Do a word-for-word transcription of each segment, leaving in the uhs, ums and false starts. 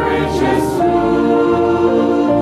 Reaches to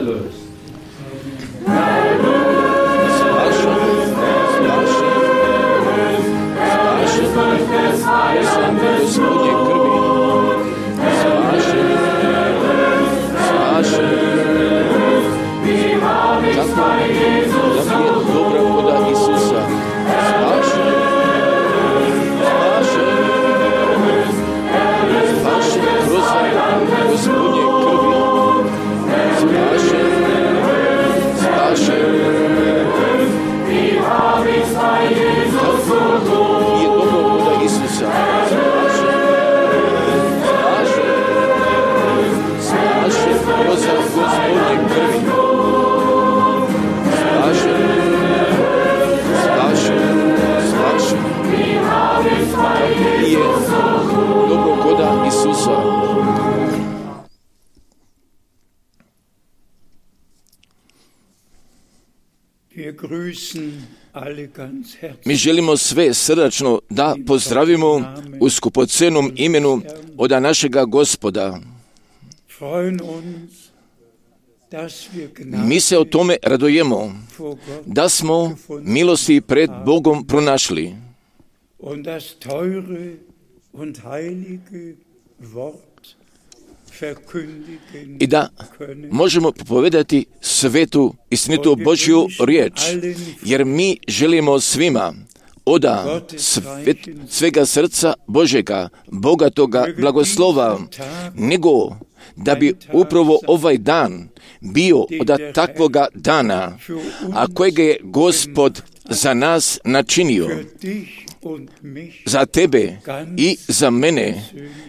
erlöst. Gospodnje krvi, spašen, spašen, kako da mi je dobra voda Isusa, spašen, spašen, spašen kroz Gospodnje krvi, spašen, spašen, kako je dobra voda Isusa, kroz Gospodnje krvi, spašen, spašen, spašen, kako je dobrogoda Isusa. Mi želimo sve srdačno da pozdravimo u skupocenom imenu od našega Gospoda. Mi se o tome radujemo, da smo milosti pred Bogom pronašli i da možemo propovedati svetu, istinitu Božju riječ, jer mi želimo svima od sve, svega srca Božega, bogatoga blagoslova, nego da bi upravo ovaj dan bio od takvoga dana, a kojega je Gospod za nas načinio, za tebe i za mene,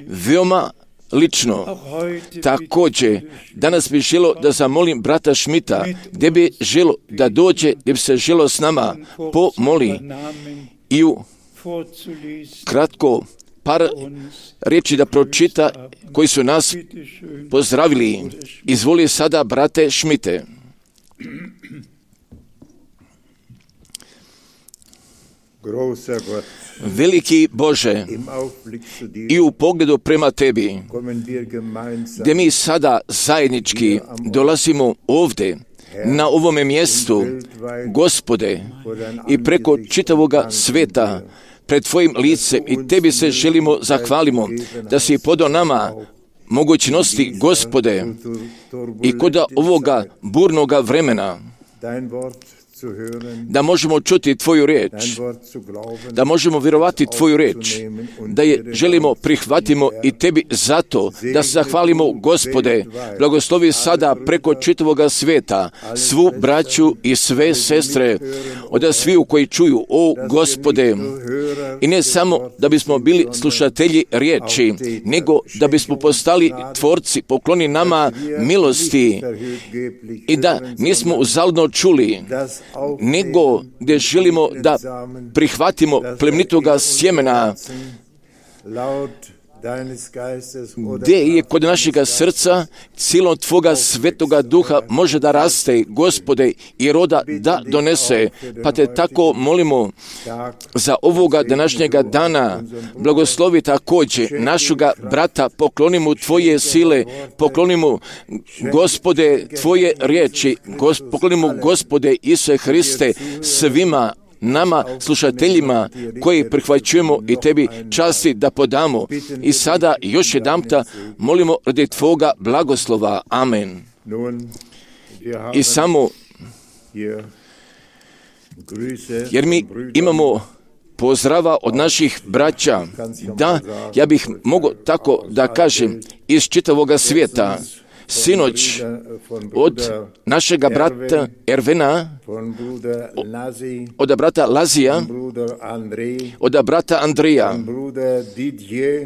veoma lično. Također, danas bih želo da zamolim brata Šmita, gdje bi želo da dođe, gdje bi se želo s nama pomoli i u kratko par riječi da pročita koji su nas pozdravili. Izvoli sada, brate Šmite. Veliki Bože, i u pogledu prema Tebi, gdje mi sada zajednički dolazimo ovdje, na ovome mjestu, Gospode, i preko čitavoga sveta, pred Tvojim licem, i Tebi se želimo zahvalimo, da si podao nama mogućnosti, Gospode, i kod ovoga burnoga vremena, da možemo čuti Tvoju riječ, da možemo vjerovati Tvoju riječ, da je želimo prihvatimo i Tebi zato, da se zahvalimo, Gospode, blagoslovi sada preko čitavoga svijeta, svu braću i sve sestre, od sviju koji čuju, o Gospode, i ne samo da bismo bili slušatelji riječi, nego da bismo postali tvorci, pokloni nama milosti i da nismo uzaludno čuli, nego gdje želimo da prihvatimo plemenitoga sjemena, gdje je kod našega srca silom Tvoga svetoga duha može da raste, Gospode, i roda da donese. Pa Te tako molimo za ovoga današnjega dana. Blagoslovi također našega brata, poklonimo Tvoje sile, poklonimo, Gospode, Tvoje riječi, gos, poklonimo, Gospode Isuse Hriste, svima nama, slušateljima, koji prihvaćujemo i Tebi časti da podamo. I sada još jedanputa molimo radi Tvoga blagoslova. Amen. I samo, jer mi imamo pozdrava od naših braća, da, ja bih mogao tako da kažem, iz čitavoga svijeta. Sinoć od našega brata Ervena, od brata Lazija, od brata Andrija,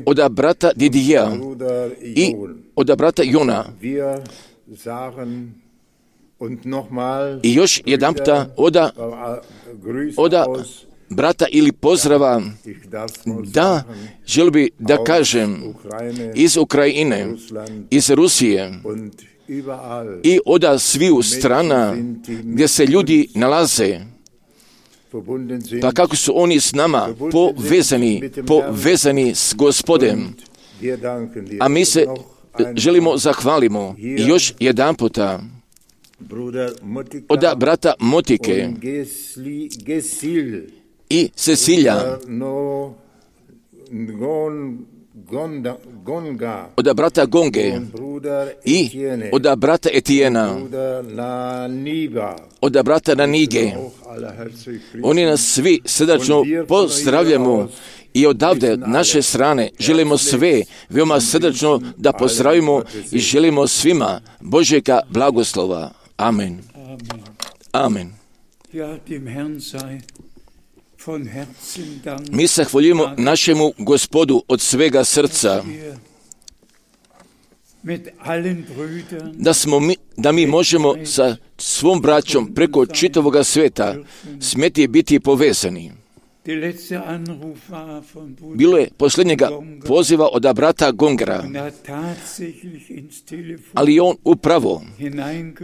od brata Didija i od brata Jona. I još jedan puta od, od brata ili pozdrava, da, želim bi da kažem, iz Ukrajine, iz Rusije i od sviju strana gdje se ljudi nalaze, pa kako su oni s nama povezani, povezani s Gospodem. A mi se želimo zahvalimo i još jedan puta od brata Motike i Cecilija, od brata Gonge i od brata Etijena, od brata Nanige. Oni nas svi srdačno pozdravljamo i odavde naše strane želimo sve veoma srdačno da pozdravimo i želimo svima Božjega blagoslova. Amen. Amen. Mi se hvaljujemo našemu Gospodu od svega srca, da, smo mi, da mi možemo sa svom braćom preko čitavoga sveta smjeti biti povezani. Bilo je posljednjega poziva od brata Gongera, ali on upravo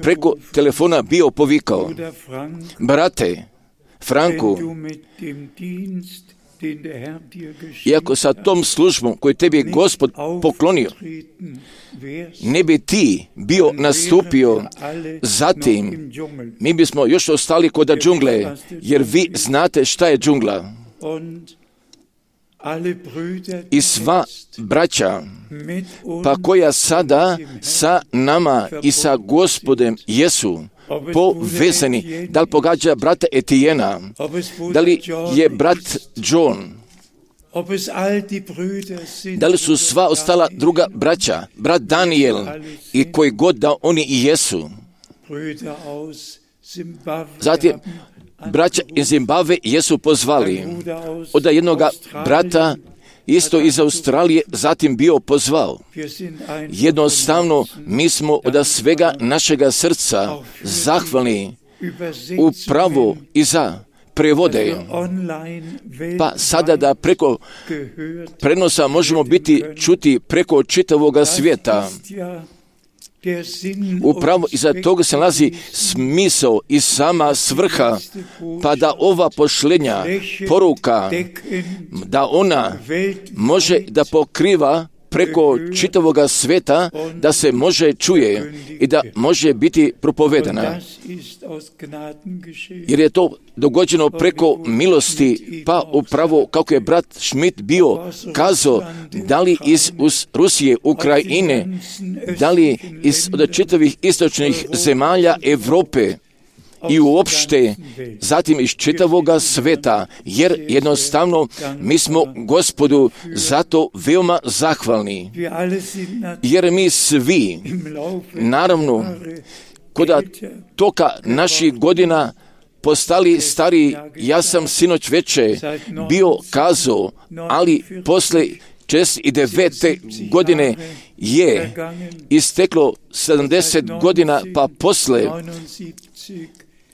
preko telefona bio povikao: brate Franku, iako sa tom službom koju tebi Gospod poklonio, ne bi ti bio nastupio, zatim mi bismo još ostali kod džungle, jer vi znate šta je džungla. I sva braća, pa koja sada sa nama i sa Gospodem jesu povezani, da li pogađa brata Etijena, da li je brat John, da li su sva ostala druga braća, brat Daniel i koji god da oni i jesu. Zatim, braća iz Zimbabve jesu pozvali, od jednog brata isto iz Australije zatim bio pozvao. Jednostavno, mi smo od svega našega srca zahvalni upravo i za prevode, pa sada da preko prenosa možemo biti čuti preko čitavoga svijeta. Upravo iza toga se nalazi smisao i sama svrha, pa da ova pošlenja poruka, da ona može da pokriva preko čitavoga sveta, da se može čuje i da može biti propovedana. Jer je to dogođeno preko milosti, pa upravo kako je brat Schmidt bio kazao, da li iz Rusije, Ukrajine, da li iz od čitavih istočnih zemalja Europe i uopšte zatim iz čitavoga sveta, jer jednostavno mi smo Gospodu zato veoma zahvalni, jer mi svi, naravno, kod toka naših godina postali stari. Ja sam sinoć veče bio kazao, ali posle šezdeset devete godine je isteklo sedamdeset godina, pa posle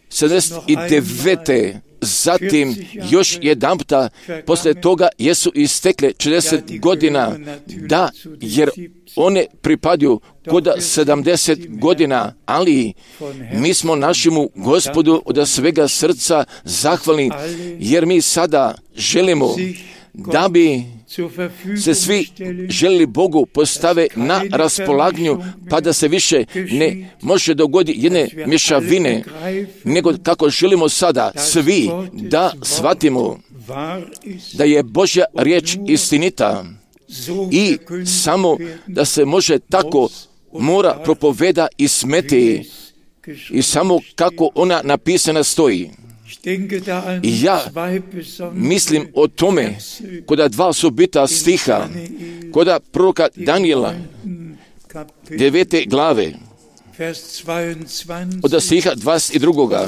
sedamdeset devete zatim još jedanputa posle toga jesu istekle šezdeset godina, da, jer one pripadaju kod sedamdeset godina, ali mi smo našemu Gospodu od svega srca zahvalni, jer mi sada želimo da bi se svi želili Bogu postave na raspolaganju, pa da se više ne može dogoditi jedne mješavine, nego kako želimo sada svi da shvatimo da je Božja riječ istinita i samo da se može tako mora propoveda i smeti i samo kako ona napisana stoji. I ja mislim o tome kod dva osobita stiha, kod proroka Daniela, devete glave, od stiha dvadeset dva,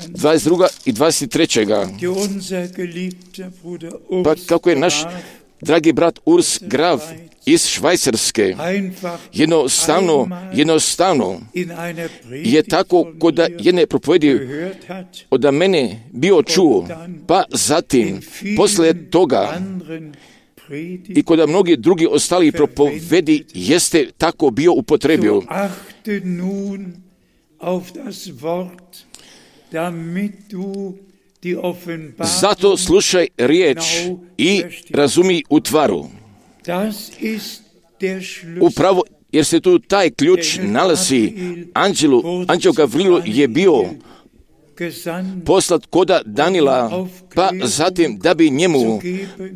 dvadeset dva i dvadeset tri. Pa kako je naš dragi brat Urs Graf iz Švajcarske jednostavno, jednostavno je tako kod jedne propovedi od mene bio čuo, pa zatim posle toga i kod mnogi drugi ostali propovedi jeste tako bio upotrebio. Zato slušaj riječ i razumi u tvaru. Upravo jer se tu taj ključ nalazi. Anđelu, anđel Gavrilu je bio poslat koda Danila, pa zatim da bi njemu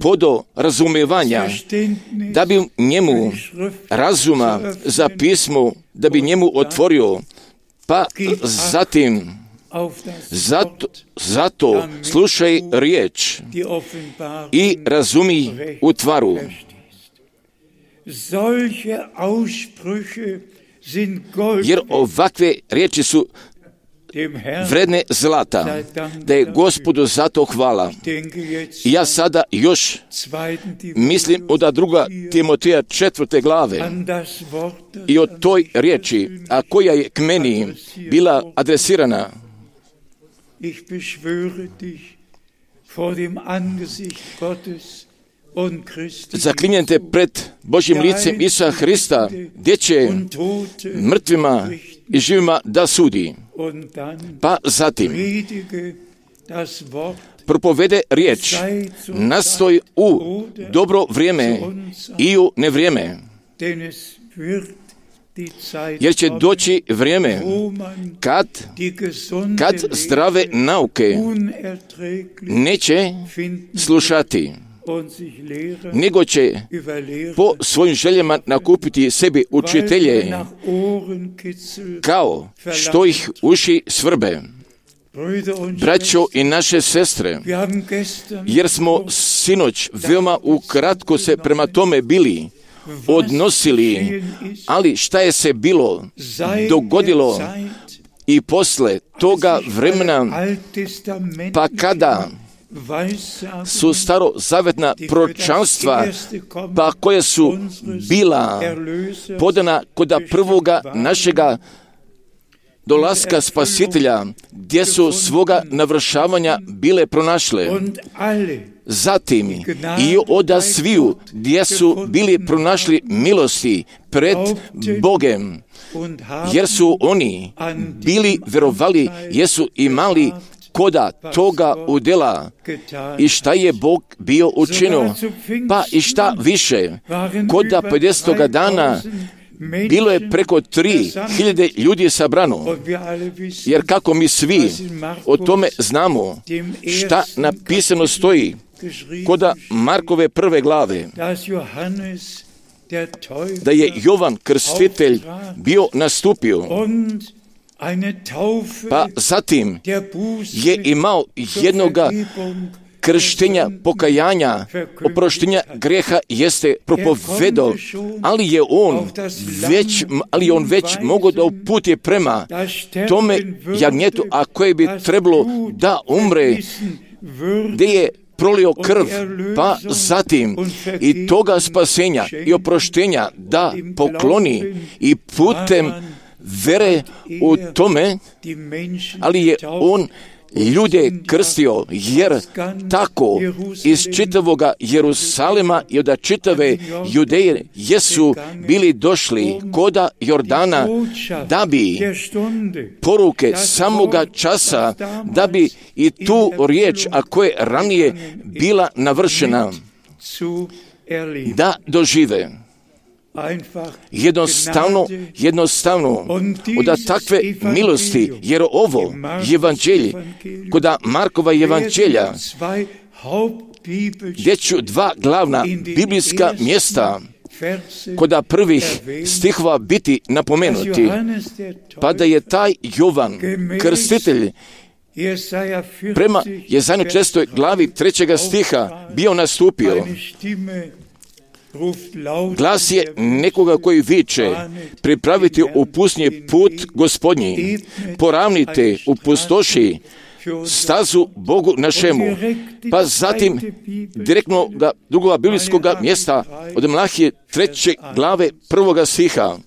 podo razumijevanja, da bi njemu razuma za pismo, da bi njemu otvorio, pa zatim zato, zato slušaj riječ i razumi u tvaru. Jer ovakve riječi su vredne zlata, da je Gospodu zato hvala. I ja sada još mislim od druga Timoteja četvrte glave i o toj riječi, a koja je k meni bila adresirana. Zaklinjem te pred Božjim licem Isusa Hrista, gdje će mrtvima i živima da sudi. Pa zatim propovede riječ, nastoj u dobro vrijeme i u nevrijeme, jer će doći vrijeme kad, kad zdrave nauke neće slušati, nego će po svojim željama nakupiti sebi učitelje, kao što ih uši svrbe. Braćo i naše sestre, jer smo sinoć veoma ukratko se prema tome bili odnosili, ali šta je se bilo dogodilo i posle toga vremena, pa kada su starozavetna proročanstva, pa koje su bila podana kod prvoga našega dolaska Spasitelja, gdje su svoga navršavanja bile pronašle. Zatim i oda sviju, gdje su bili pronašli milosti pred Bogem, jer su oni bili verovali, jesu imali koda toga udjela i šta je Bog bio učinio, pa i šta više, koda pedesetoga dana bilo je preko tri hiljade ljudi sabrano, jer kako mi svi o tome znamo, šta napisano stoji koda Markove prve glave, da je Jovan Krstitelj bio nastupio, pa zatim je imao jednoga krštenja, pokajanja, oproštenja greha jeste propovedao, ali je on već, ali on već mogao da uputi prema tome jagnjetu, a koje bi trebalo da umre, gdje je prolio krv, pa zatim i toga spasenja i oproštenja da pokloni i putem vere u tome, ali je on ljude krstio, jer tako iz čitavoga Jerusalema i od čitave Judeje jesu bili došli koda Jordana, da bi poruke samoga časa, da bi i tu riječ, a koja je ranije bila navršena, da dožive. Jednostavno, jednostavno, od takve milosti, jer ovo evanđelje, koda Markova evanđelja, gdje ću dva glavna biblijska mjesta, koda prvih stihova biti napomenuti, pa da je taj Jovan Krstitelj prema Jesaja četrnaestoj glavi trećega stiha bio nastupio. Glas je nekoga koji viče, pripravite u pustinji put Gospodnji, poravnite u pustoši stazu Bogu našemu. Pa zatim direktno ga drugog biblijskog mjesta od Malahije treće glave prvoga stiha.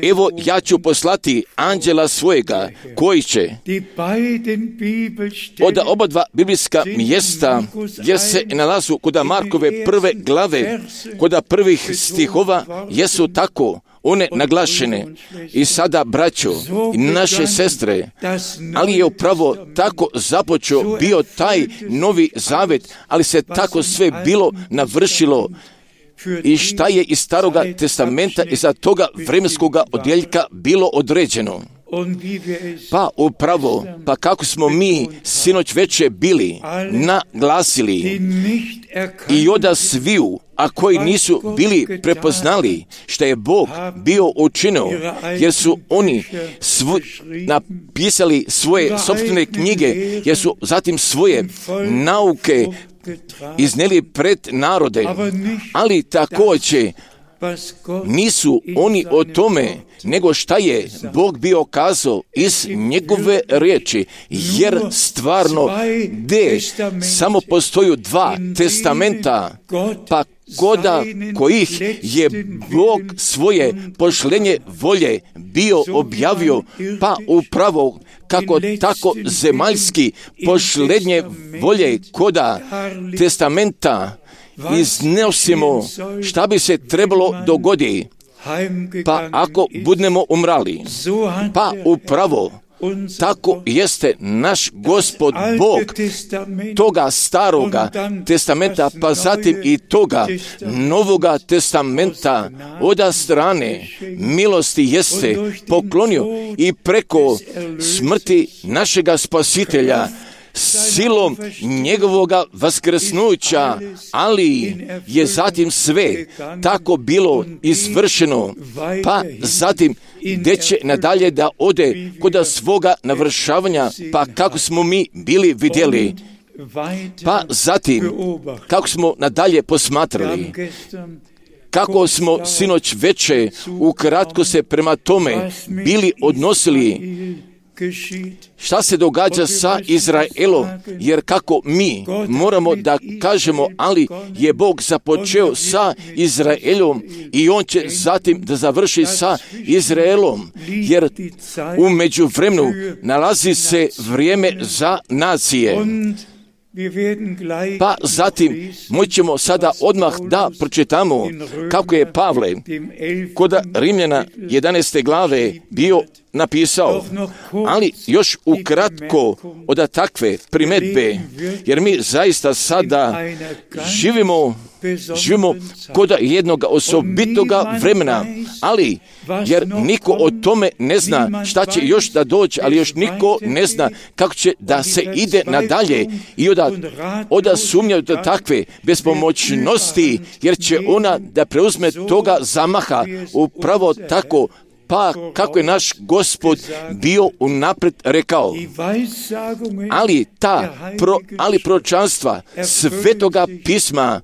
Evo ja ću poslati anđela svojega koji će od oba dva biblijska mjesta gdje se nalazu kod Markove prve glave, kod prvih stihova jesu tako one naglašene. I sada, braćo i naše sestre, ali je upravo tako započeo bio taj novi zavet, ali se tako sve bilo navršilo i šta je iz Staroga testamenta i za toga vremenskoga odjeljka bilo određeno. Pa upravo, pa kako smo mi sinoć veče bili naglasili i oda sviju, a koji nisu bili prepoznali što je Bog bio učinio, jer su oni svu, napisali svoje sopstvene knjige, jer su zatim svoje nauke iznijeli pred narode, ali također nisu oni o tome, nego šta je Bog bio kazao iz njegove riječi, jer stvarno gdje samo postoju dva testamenta, pa koda kojih je Bog svoje pošlenje volje bio objavio, pa upravo kako tako zemaljski pošlenje volje koda testamenta iznosimo šta bi se trebalo dogoditi, pa ako budemo umrali, pa upravo tako jeste naš Gospod Bog toga staroga testamenta, pa zatim i toga novoga testamenta od strane milosti jeste poklonio i preko smrti našega Spasitelja silom njegovoga vaskrsnuća, ali je zatim sve tako bilo izvršeno, pa zatim gdje će nadalje da ode kod svoga navršavanja, pa kako smo mi bili vidjeli, pa zatim kako smo nadalje posmatrali, kako smo sinoć veče ukratko se prema tome bili odnosili, šta se događa sa Izraelom, jer kako mi moramo da kažemo, ali je Bog započeo sa Izraelom i on će zatim da završi sa Izraelom, jer u međuvremenu nalazi se vrijeme za nacije. Pa zatim moćemo sada odmah da pročitamo kako je Pavle kod Rimljana jedanaeste glave bio napisao, ali još ukratko od takve primetbe, jer mi zaista sada živimo, živimo kod jednog osobitoga vremena, ali jer niko o tome ne zna šta će još da doći, ali još niko ne zna kako će da se ide nadalje i oda, oda sumnjaju da takve bespomoćnosti, jer će ona da preuzme toga zamaha upravo tako, pa kako je naš Gospod bio unaprijed rekao. Ali ta, pro, ali proročanstva Svetoga pisma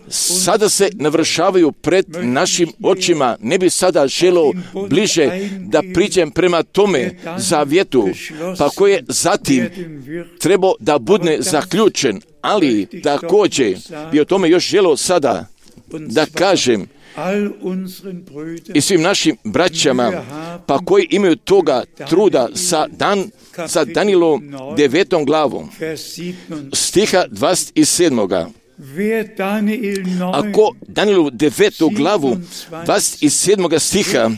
sada se navršavaju pred našim očima. Ne bi sada želio bliže da priđem prema tome zavjetu, pa koje je zatim trebao da bude zaključen, ali također bi o tome još želio sada da kažem i svim našim braćama, pa koji imaju toga truda sa, Dan, sa Danielom devetom glavom, stiha dvadeset sedam. Ako Danielu devetu glavu dvadeset sedam stiha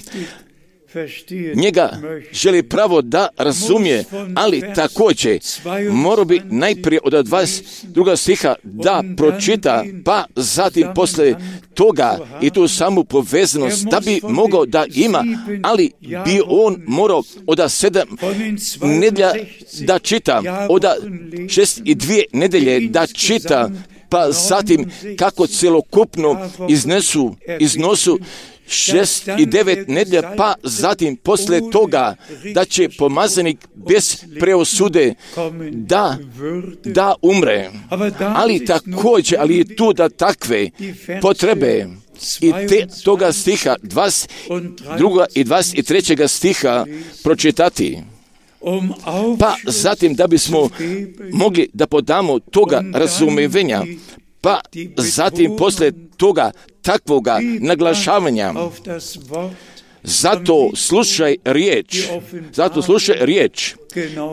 njega želi pravo da razumije, ali također mora bi najprije od dvadeset drugog stiha da pročita, pa zatim posle toga i tu samu povezanost da bi mogao da ima, ali bi on morao od sedam nedelja da čita, od šest i dvije nedelje da čita, pa zatim kako celokupno iznesu, iznosu šest i devet nedjelja, pa zatim posle toga da će pomazanik bez preosude da, da umre. Ali također, ali i tu da takve potrebe i te, toga stiha dvadeset drugog i dvadeset trećeg stiha pročitati. Pa zatim da bismo mogli da podamo toga razumijevenja, pa zatim posle toga takvoga naglašavanja, zato slušaj riječ, zato slušaj riječ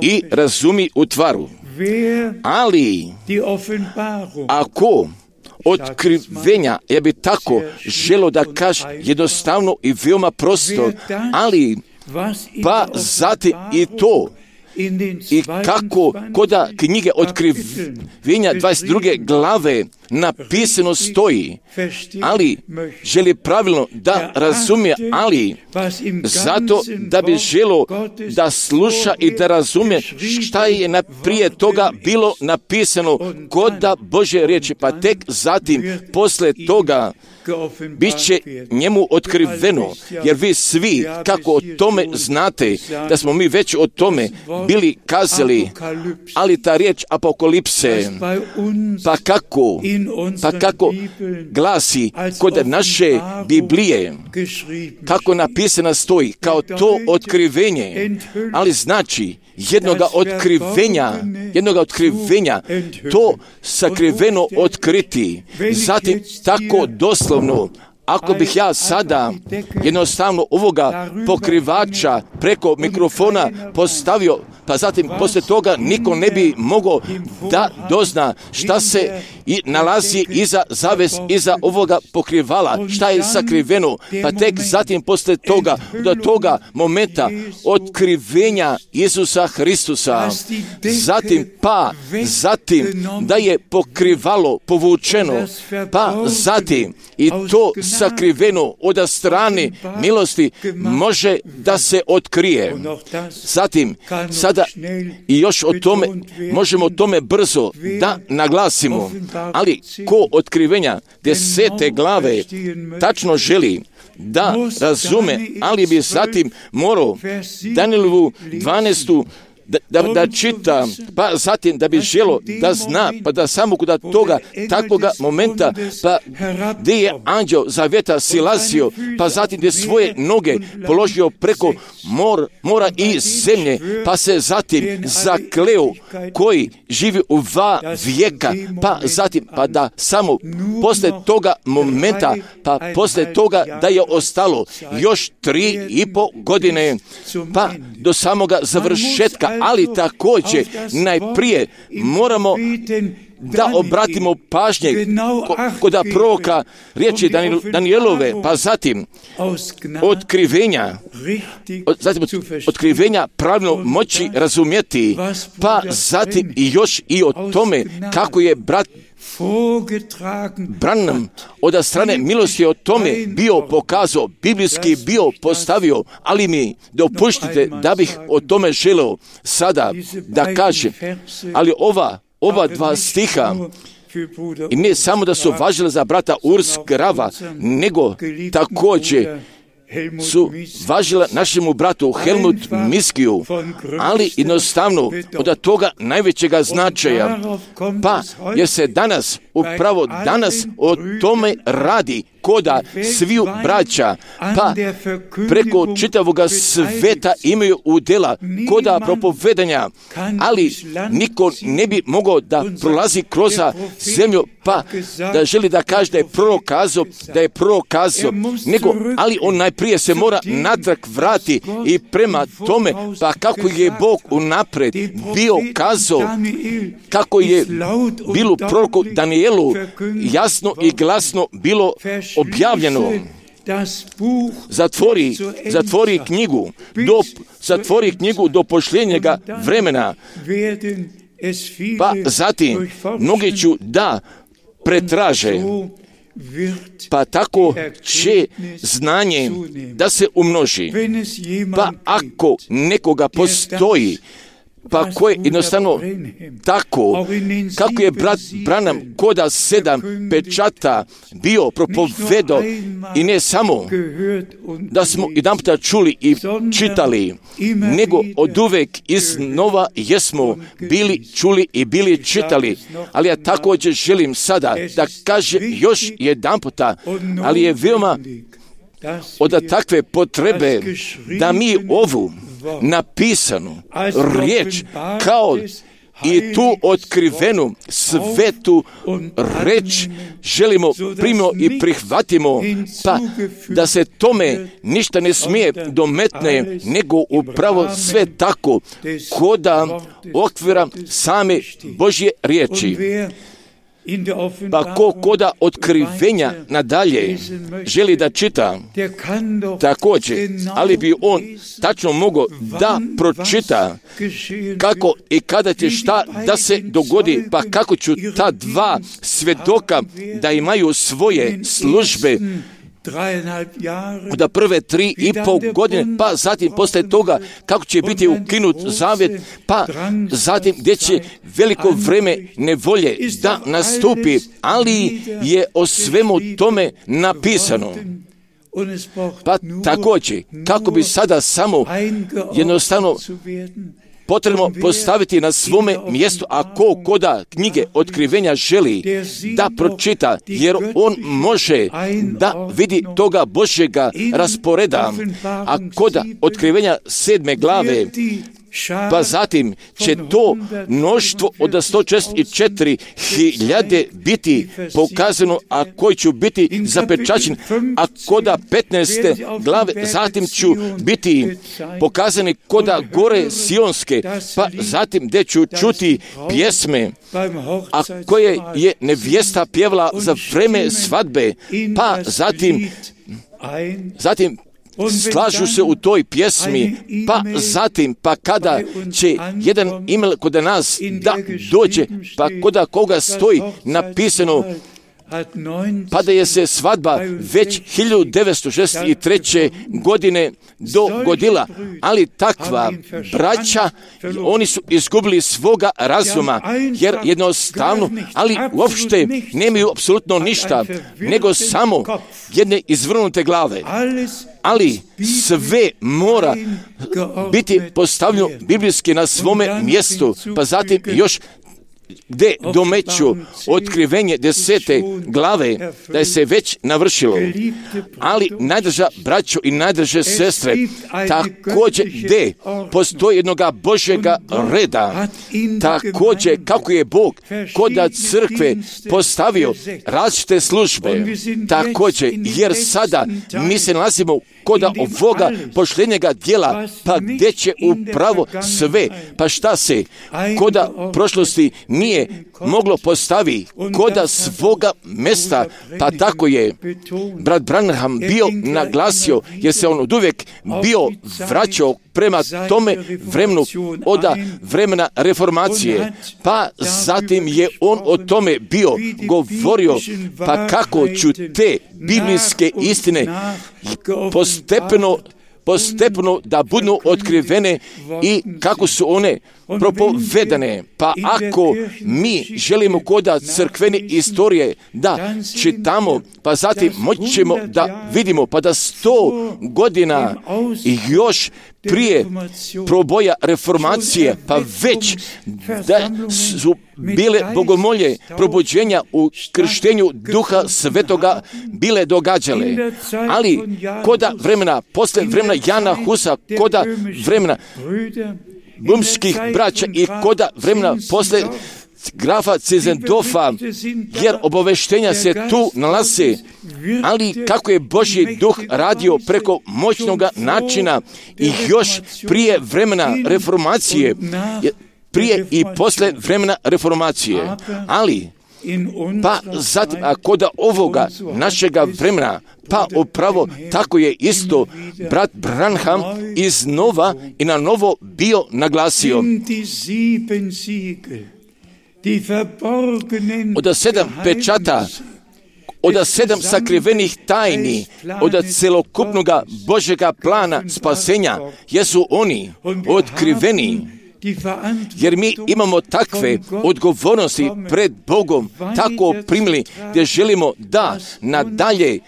i razumi u tvaru. Ali ako otkrivenja, ja bi tako želo da kažem jednostavno i veoma prosto, ali pa zatim i to i kako koda knjige Otkrivenja dvadeset druge glave napisano stoji, ali želi pravilno da razumije, ali zato da bi želo da sluša i da razumije šta je prije toga bilo napisano koda Božje riječi, pa tek zatim posle toga bit će njemu otkriveno, jer vi svi kako o tome znate, da smo mi već o tome bili kazali, ali ta riječ apokalipse, pa kako, pa kako glasi kod naše Biblije, kako napisana stoji, kao to otkrivenje, ali znači jednoga otkrivenja, jednoga otkrivenja, to sakriveno otkriti, zatim tako doslovno, ako bih ja sada jednostavno ovoga pokrivača preko mikrofona postavio, pa zatim poslije toga niko ne bi mogao da dozna šta se i nalazi iza zaves, iza ovoga pokrivala, šta je sakriveno, pa tek zatim poslije toga, do toga momenta otkrivenja Isusa Hristusa, zatim pa, zatim da je pokrivalo povučeno, pa zatim i to sakriveno od strane milosti može da se otkrije. Zatim, sada i još o tome, možemo o tome brzo da naglasimo, ali ko otkrivenja desete glave tačno želi da razume, ali bi zatim morao Danijelovu dvanaestu Da, da, da čita, pa zatim da bi želo da zna, pa da samo kod toga takvoga momenta, pa gdje je anđeo zaveta silazio, pa zatim gdje svoje noge položio preko mor, mora i zemlje, pa se zatim zakleo koji živi u dva vijeka, pa zatim, pa da samo posle toga momenta, pa posle toga da je ostalo još tri i po godine, pa do samoga završetka, ali također najprije moramo da obratimo pažnje kod proroka riječi Danijelove, pa zatim otkrivenja, zatim otkrivenja pravilno moći razumjeti, pa zatim i još i o tome kako je brat Branham od strane milosti o tome bio pokazao, biblijski bio postavio, ali mi dopuštite da bih o tome želeo sada da kažem, ali ova, ova dva stiha i ne samo da su važile za brata Urs Grava, nego također su važila našemu bratu Helmut Miskiju, ali jednostavno od toga najvećega značaja, pa jer se danas, upravo danas o tome radi koda sviju braća, pa preko čitavoga sveta imaju udjela koda propovedanja, ali niko ne bi mogao da prolazi kroz zemlju, pa da želi da kaže da je prokazao, da je prokazao, nego, ali on najprije se mora natrag vrati i prema tome, pa kako je Bog unapred bio kazao, kako je bilo proroku Danijelu jasno i glasno bilo objavljeno. Zatvori, zatvori knjigu, do, zatvori knjigu do posljednjega vremena, pa zatim mnogi ću da pretraže, pa tako će znanje da se umnoži. Pa ako nekoga postoji, pa koje jednostavno tako, kako je brat Branham koda sedam pečata bio propovedao i ne samo da smo jedan puta čuli i čitali, nego od uvek iznova jesmo bili čuli i bili čitali, ali ja također želim sada da kaže još jedan puta, ali je veoma od takve potrebe da mi ovu napisanu riječ kao i tu otkrivenu svetu reč želimo primimo i prihvatimo, pa da se tome ništa ne smije dometne, nego upravo sve tako koda okvira same Božje riječi. Pa ko koda otkrivenja nadalje želi da čita, također, ali bi on tačno mogao da pročita kako i kada će šta da se dogodi, pa kako ću ta dva svjedoka da imaju svoje službe da prve tri i pol godine, pa zatim posle toga kako će biti ukinut zavjet, pa zatim gdje će veliko vreme nevolje da nastupi, ali je o svemu tome napisano. Pa također, kako bi sada samo jednostavno potrebno postaviti na svome mjestu, a ko koda knjige otkrivenja želi da pročita, jer on može da vidi toga Božjega rasporeda, a koda otkrivenja sedme glave, pa zatim će to mnoštvo od sto četrdeset četiri hiljade biti pokazano, a koji ću biti zapečaćen, a koda petnaeste glave zatim ću biti pokazani koda gore Sionske, pa zatim gdje ću čuti pjesme, a koje je nevjesta pjevala za vreme svadbe, pa zatim zatim slažu se u toj pjesmi, pa zatim, pa kada će jedan email kod nas da dođe, pa koda koga stoji napisano, pa da je se svadba već hiljadu devetsto šezdeset treće godine dogodila, ali takva braća, oni su izgubili svoga razuma, jer jednostavno, ali uopšte nemaju apsolutno ništa, nego samo jedne izvrnute glave. Ali sve mora biti postavljeno biblijski na svome mjestu, pa zatim još gdje domeću otkrivenje desete glave, da je se već navršilo. Ali najdrža braćo i najdrže sestre, također gdje postoji jednoga Božjega reda, također kako je Bog koda crkve postavio različite službe, također, jer sada mi se nalazimo koda ovoga pošljenjega djela, pa gdje će upravo sve, pa šta se koda prošlosti nije moglo postavi koda svoga mesta, pa tako je brat Branham bio naglasio, jer se on oduvijek bio vraćao prema tome vremenu od vremena reformacije, pa zatim je on o tome bio govorio, pa kako ću te biblijske istine postepeno postepeno da budu otkrivene i kako su one propovedane. Pa ako mi želimo koda crkvene istorije da čitamo, pa zatim moći ćemo da vidimo, pa da sto godina i još prije proboja reformacije, pa već da su bile bogomolje probuđenja u krštenju Duha Svetoga bile događale. Ali koda vremena, posle vremena Jana Husa, koda vremena bumskih braća i koda vremena posle grafa Cizendofa, jer obaveštenja se tu nalaze, ali kako je Božji duh radio preko moćnog načina i još prije vremena reformacije, prije i posle vremena reformacije, ali pa zatim, a koda ovoga našega vremena, pa upravo tako je isto brat Branham iznova i na novo bio naglasio. Od sedam pečata, od sedam sakrivenih tajni, od celokupnog Božjega plana spasenja, jesu oni otkriveni. Jer mi imamo takve odgovornosti pred Bogom, tako primili, gdje želimo da nadalje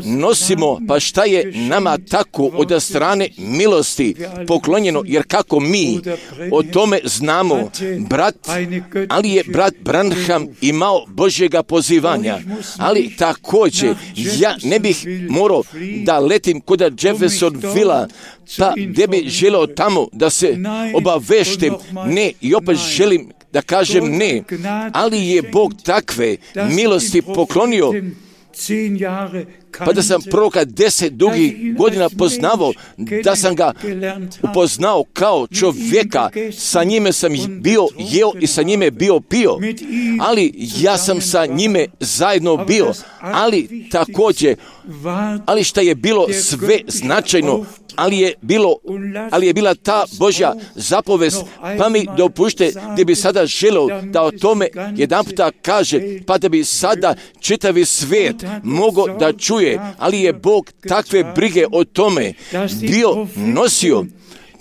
nosimo, pa šta je nama tako od strane milosti poklonjeno, jer kako mi o tome znamo, brat, ali je brat Branham imao Božjega pozivanja, ali također ja ne bih morao da letim kod Jeffersonville, pa gdje bi želeo tamo da se obaveštim, ne, i opet želim da kažem ne, ali je Bog takve milosti poklonio pa da sam proroka deset dugih godina poznavao, da sam ga upoznao kao čovjeka, sa njime sam bio jeo i sa njime bio pio, ali ja sam sa njime zajedno bio, ali također, ali šta je bilo sve značajno, ali je bilo, ali je bila ta Božja zapovest, pa mi dopušte gdje bi sada želio da o tome jedan puta kaže, pa da bi sada čitavi svijet mogao da čuje, ali je Bog takve brige o tome bio nosio,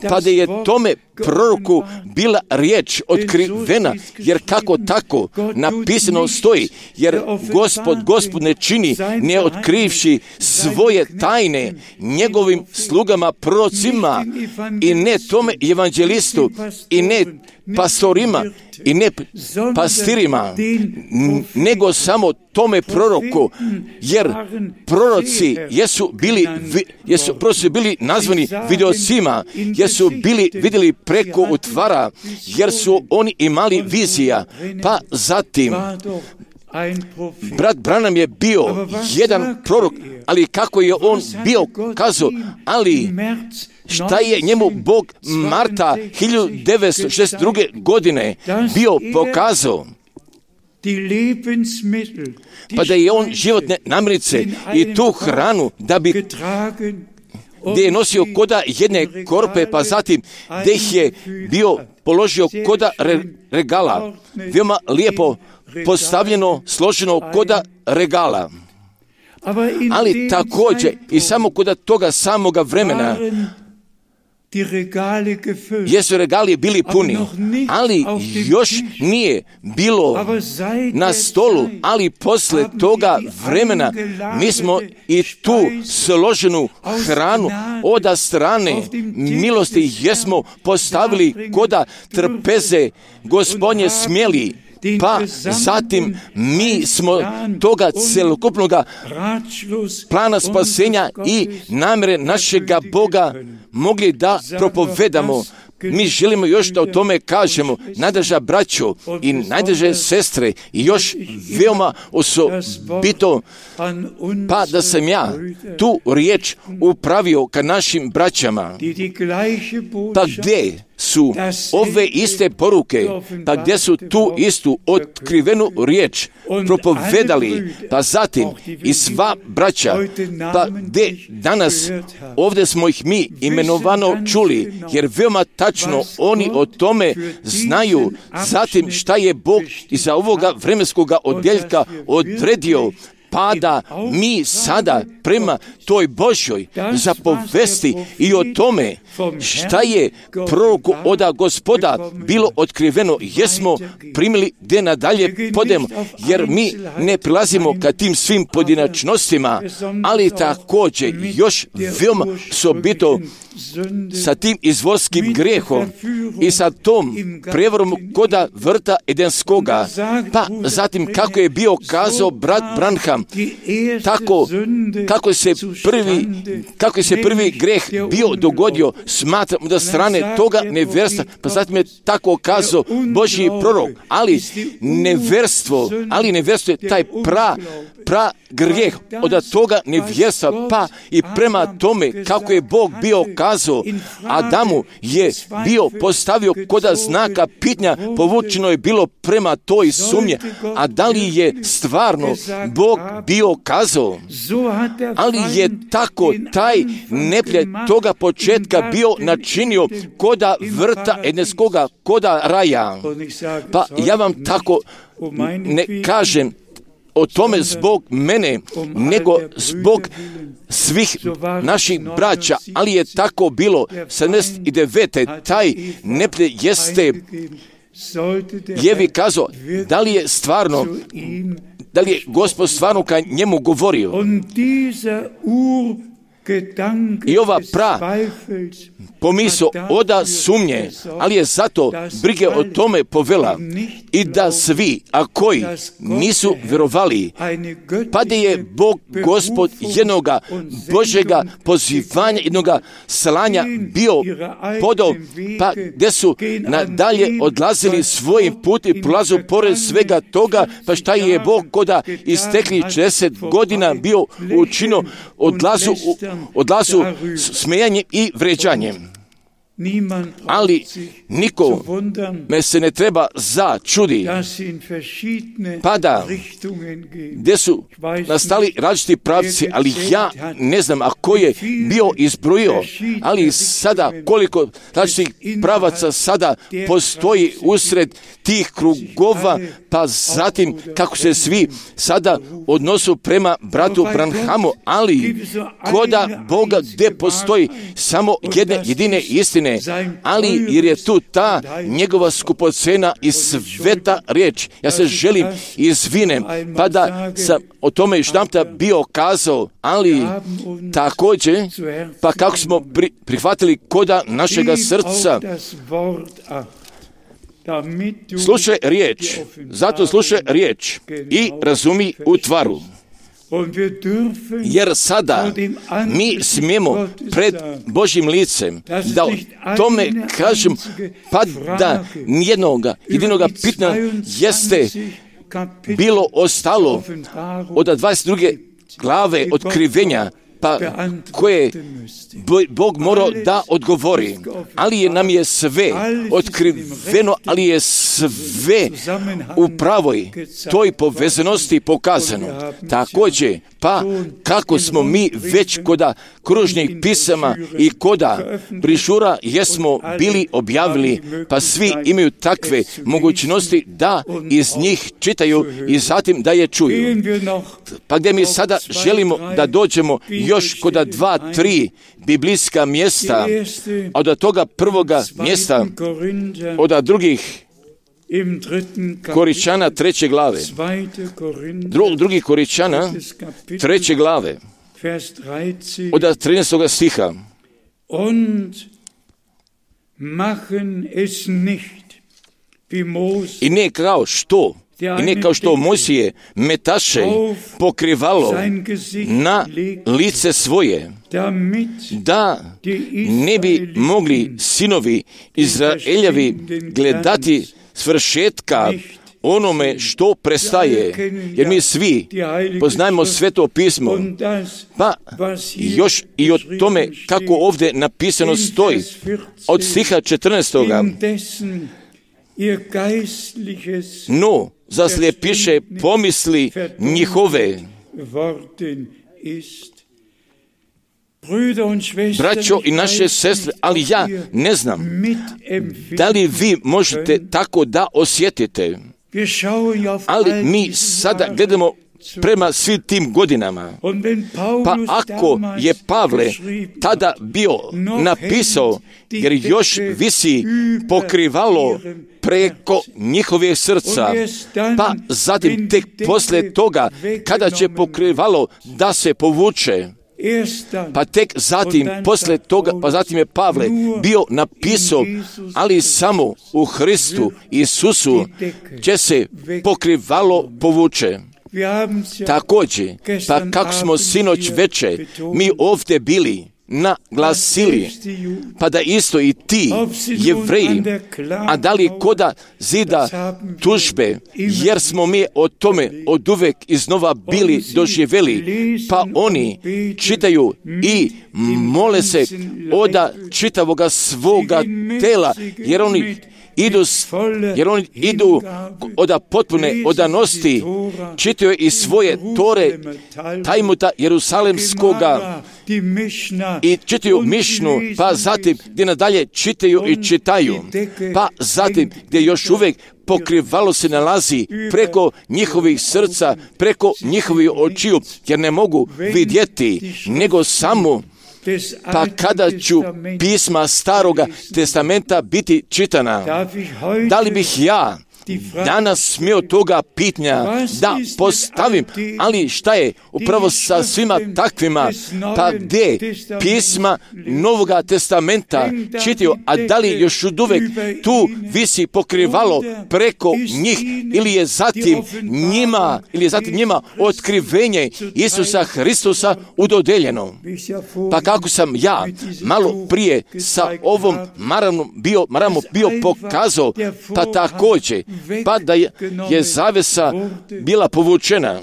pa da je tome proroku bila riječ otkrivena, jer kako tako napisano stoji, jer Gospod, Gospod ne čini ne otkrivši svoje tajne njegovim slugama prorocima i ne tome evanđelistu i ne pastorima i ne pastirima, nego samo tome proroku, jer proroci jesu bili, jesu proroci bili nazvani vidocima, jer su bili vidjeli preko utvara, jer su oni imali vizija, pa zatim brat Branham je bio jedan prorok, ali kako je on bio kazao, ali šta je njemu Bog marta hiljadu devetsto šezdeset druge godine bio pokazao, pa da je on životne namirnice i tu hranu da bi gdje je nosio koda jedne korpe, pa zatim gdje ih je bio položio koda re, regala, veoma lijepo postavljeno, složeno koda regala. Ali također i samo koda toga samoga vremena jesu regali bili puni, ali još nije bilo na stolu, ali posle toga vremena mi smo i tu složenu hranu od strane milosti jesmo postavili koda trpeze Gospodnje smjeli. Pa zatim mi smo toga celokupnog plana spasenja i namjere našega Boga mogli da propovedamo. Mi želimo još da o tome kažemo, najdraža braćo i najdraže sestre, i još veoma osobito, pa da sam ja tu riječ upravio ka našim braćama, pa gdje su ove iste poruke, pa gdje su tu istu otkrivenu riječ propovedali, pa zatim i sva braća, pa gdje danas ovdje smo ih mi imenovano čuli, jer veoma tačno oni o tome znaju, zatim šta je Bog iza ovoga vremenskoga odjeljka odredio, pa da mi sada prema toj Božjoj zapovesti i o tome šta je proroku oda Gospoda bilo otkriveno, jesmo primili gdje nadalje podemo, jer mi ne prilazimo ka tim svim pojedinačnostima, ali također još veoma sobito sa tim izvorskim grijehom i sa tom prevarom koda vrta Edenskoga, pa zatim kako je bio kazao brat Branham, tako kako se prvi kako se prvi greh bio dogodio, smatram da strane toga nevjerstva, pa zatim je tako kazao Božji prorok, ali nevjerstvo, ali nevjerstvo je taj pra, pra grijeh od toga nevjerstva, pa i prema tome kako je Bog bio kazao Adamu je bio postavio koda znaka pitnja, povučeno je bilo prema toj sumnje, a da li je stvarno Bog bio kazao, ali je tako taj neprijatelj toga početka bio načinio koda vrta Edenskoga, koda raja. Pa ja vam tako ne kažem o tome zbog mene, nego zbog svih naših braća, ali je tako bilo. sedamdeset devete taj neprijatelj jeste Jevi kazao, da li je stvarno, da li je Gospod stvarno ka njemu govorio. I ova pra pomisao oda sumnje, ali je zato brige o tome povela i da svi, a koji nisu vjerovali, pa da je Bog Gospod jednoga Božega pozivanja, jednoga slanja bio podao, pa gdje su nadalje odlazili svojim put i prolazu pored svega toga, pa šta je Bog koda istekli četrdeset godina bio učinio odlazu, odlazu smejanjem i vređanjem. Ali niko me se ne treba začudi, pa da gdje su nastali različiti pravci, ali ja ne znam a ko je bio izbrojio, ali sada koliko različitih pravaca sada postoji usred tih krugova, pa zatim kako se svi sada odnosu prema bratu Branhamu, ali koda Boga gdje postoji samo jedne jedine istine, ali jer je tu ta njegova skupocena i sveta riječ. Ja se želim izvinem, pa da sam o tome još namta bio kazao, ali također, pa kako smo pri, prihvatili koda našega srca, slušaj riječ, zato slušaj riječ i razumi u tvaru. Jer sada mi smijemo pred Božjim licem da o tome kažem, pa da nijednoga jedinoga pitanja jeste bilo ostalo od dvadeset druge glave otkrivenja, pa koje Bog morao da odgovori, ali je nam je sve otkriveno, ali je sve u pravoj toj povezanosti pokazano. Također, pa kako smo mi već koda kružnih pisama i koda brišura jesmo bili objavili, pa svi imaju takve mogućnosti da iz njih čitaju i zatim da je čuju. Pa gdje mi sada želimo da dođemo još koda dva, tri biblijska mjesta, a od toga prvoga mjesta, od drugih Koričana treće glave, Dru, drugi Koričana treće glave, od trinaestoga stiha. I ne kao što, i ne kao što Mojsije metaše pokrivalo na lice svoje, da ne bi mogli sinovi Izraeljevi gledati svršetka onome što prestaje, jer mi svi poznajemo Sveto pismo, pa još i o tome kako ovdje napisano stoji od stiha četrnaestoga. No, zaslijepiše pomisli njihove. Braćo i naše sestre, ali ja ne znam da li vi možete tako da osjetite, ali mi sada gledamo prema svim tim godinama. Pa ako je Pavle tada bio napisao, jer još visi pokrivalo preko njihovih srca, pa zatim tek poslije toga kada će pokrivalo da se povuče, pa tek zatim poslije toga, pa zatim je Pavle bio napisao, ali samo u Hristu Isusu će se pokrivalo povuče. Također, pa kako smo sinoć veče mi ovdje bili naglasili, pa da isto i ti Jevreji, a da li koda zida tužbe, jer smo mi o tome od uvek iznova bili doživjeli, pa oni čitaju i mole se oda čitavoga svoga tela, jer oni idu, jer oni idu oda potpune odanosti, čitaju i svoje tore Tajmuta Jerusalemskoga i čitaju Mišnu, pa zatim gdje nadalje čitaju i čitaju, pa zatim gdje još uvijek pokrivalo se nalazi preko njihovih srca, preko njihovih očiju, jer ne mogu vidjeti, nego samo pa kada ću pisma Staroga testamenta biti čitana, da li bih ja danas smio toga pitanja da postavim, ali šta je upravo sa svima takvima, pa gdje pisma Novoga testamenta čitaju, a da li još uvijek tu visi pokrivalo preko njih, ili je zatim njima, ili je zatim njima otkrivenje Isusa Hristusa udodeljeno. Pa kako sam ja malo prije sa ovom maramom bio, maramom bio pokazao, pa također, pa da je, je zavesa bila povučena,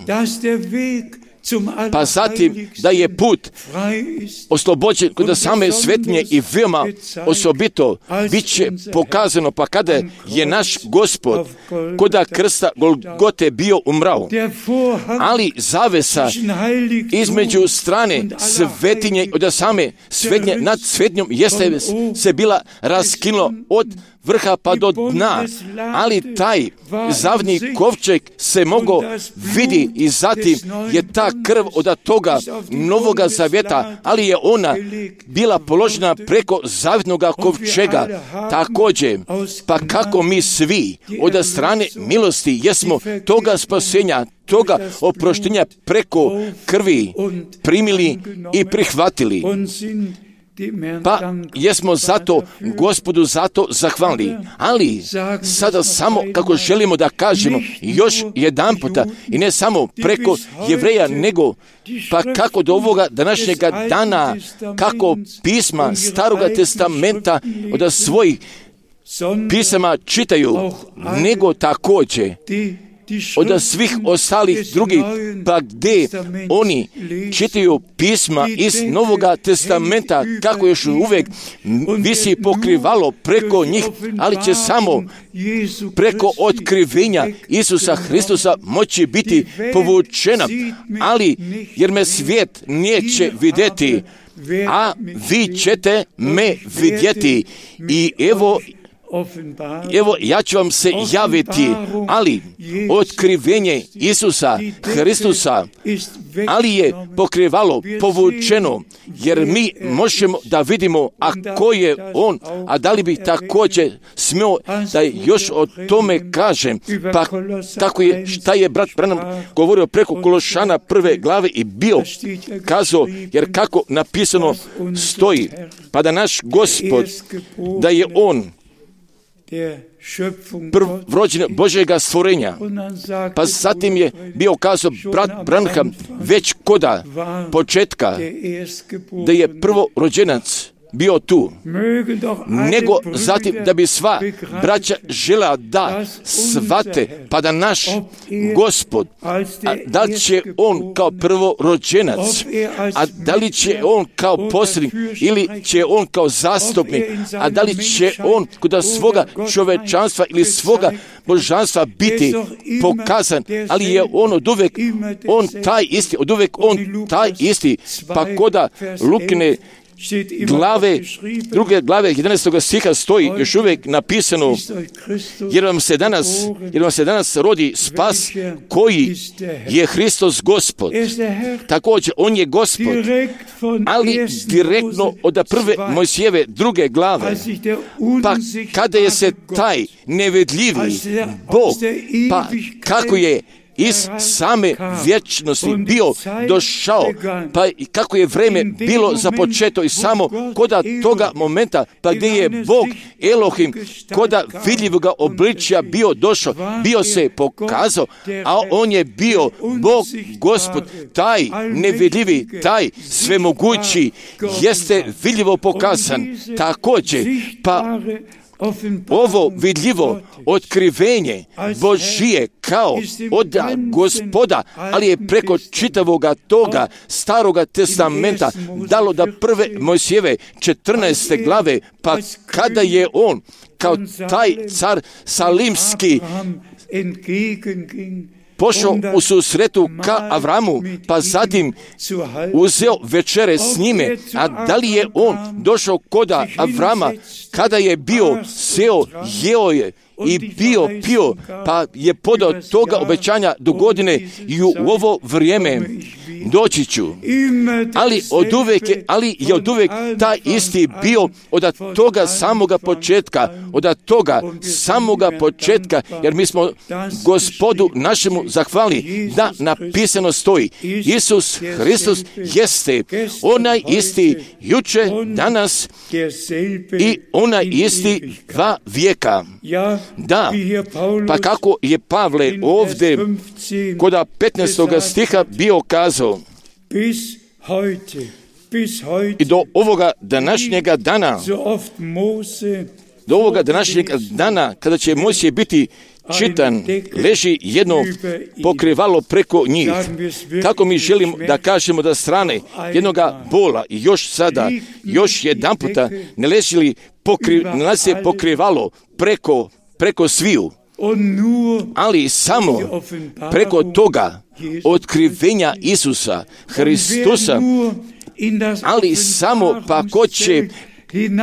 pa zatim da je put oslobođen kod same svetinje i veoma osobito bit će pokazano, pa kada je naš Gospod kod krsta Golgote bio umrao, ali zavesa između strane svetinje i od same svetinje nad svetinjom jeste se bila raskinula od vrha pa do dna, ali taj zavni kovčeg se mogao vidi i zatim je ta krv od toga Novoga zavjeta, ali je ona bila položena preko zavitnoga kovčega. Također, pa kako mi svi od strane milosti jesmo toga spasenja, toga oproštenja preko krvi primili i prihvatili. Pa jesmo zato Gospodu zato zahvalni, ali sada samo kako želimo da kažemo još jedan puta i ne samo preko Jevreja, nego pa kako do ovoga današnjega dana, kako pisma Staroga testamenta od svojih pisama čitaju, nego također od svih ostalih drugih, pa gdje oni čitaju pisma iz Novoga testamenta, kako još uvijek visi pokrivalo preko njih, ali će samo preko otkrivenja Isusa Hristusa moći biti povučena, ali jer me svijet neće vidjeti, a vi ćete me vidjeti. I evo Evo, ja ću vam se javiti, ali otkrivenje Isusa Hristusa, ali je pokrivalo povučeno, jer mi možemo da vidimo, a ko je on, a da li bi također smio da još o tome kažem, pa tako je, šta je brat Branham govorio preko Kološana prve glave i bio kazao, jer kako napisano stoji, pa da naš Gospod, da je on prvorođen Božjega stvorenja. Pa zatim je bio kazao brat Branham već koda početka da je prvorođenac bio tu, nego zatim da bi sva braća žela da svate, pa da naš Gospod, a da li će on kao prvorođenac, a da li će on kao posrednik, ili će on kao zastupnik, a da li će on kod svoga čovečanstva ili svoga božanstva biti pokazan, ali je on od uvek, on taj isti, od uvek on taj isti, pa koda Lukine glave, druge glave jedanaestog stiha stoji još uvijek napisano, jer vam se danas, jer vam se danas rodi spas koji je Hristos Gospod. Također, on je Gospod, ali direktno od prve Mojsijeve druge glave, pa kada je se taj nevidljivi Bog, pa kako je iz same vječnosti bio došao, pa i kako je vreme bilo započeto i samo koda toga momenta, pa gdje je Bog Elohim koda vidljivoga obličja bio došao, bio se pokazao, a on je bio Bog Gospod, taj nevidljivi, taj svemogući, jeste vidljivo pokazan. Također, pa ovo vidljivo otkrivenje Božije kao od Gospoda, ali je preko čitavoga toga Staroga testamenta dalo da prve Mojsijeve četrnaeste glave, pa kada je on kao taj car salimski pošao u susretu ka Avramu, pa zatim uzeo večere s njime, a da li je on došao koda Avrama kada je bio seo, jeo je i bio pio, pa je podao toga obećanja do godine i u ovo vrijeme doći ću. Ali od uvijek je, ali je od uvijek taj isti bio od toga samoga početka, od toga samoga početka, jer mi smo Gospodu našemu zahvali da napisano stoji. Isus Hristos jeste onaj isti juče, danas i onaj isti dva vijeka. Da, pa kako je Pavle ovdje kod petnaestog stiha bio kazao, i do ovoga današnjega dana, do ovoga današnjega dana, kada će Mojsije biti čitan, leži jedno pokrivalo preko njih. Kako mi želimo da kažemo da strane jednoga bola i još sada, još jedan puta ne leži li pokri, ne pokrivalo preko, preko sviju, ali samo preko toga otkrivenja Isusa Hristusa, ali samo pa ko će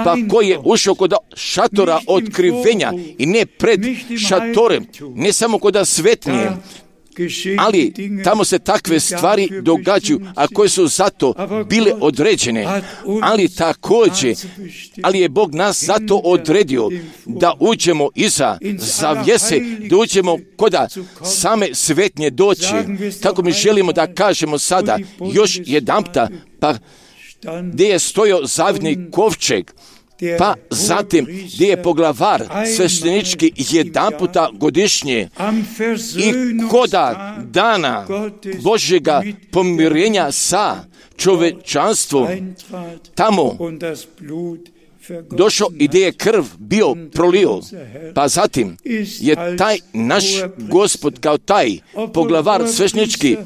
pa ko je ušao kod šatora otkrivenja i ne pred šatorem, ne samo kod svetnije, ali tamo se takve stvari događaju, a koje su zato bile određene, ali također, ali je Bog nas zato odredio da uđemo iza zavjese, da uđemo kod same svetnje doći. Tako mi želimo da kažemo sada još jedanputa, pa gdje je stojao zavidni kovčeg, pa zatim gdje je poglavar sveštenički jedan puta godišnje i koda dana Božjega pomirenja sa čovečanstvom tamo došao i gdje je krv bio prolio, pa zatim je taj naš Gospod kao taj poglavar sveštenički,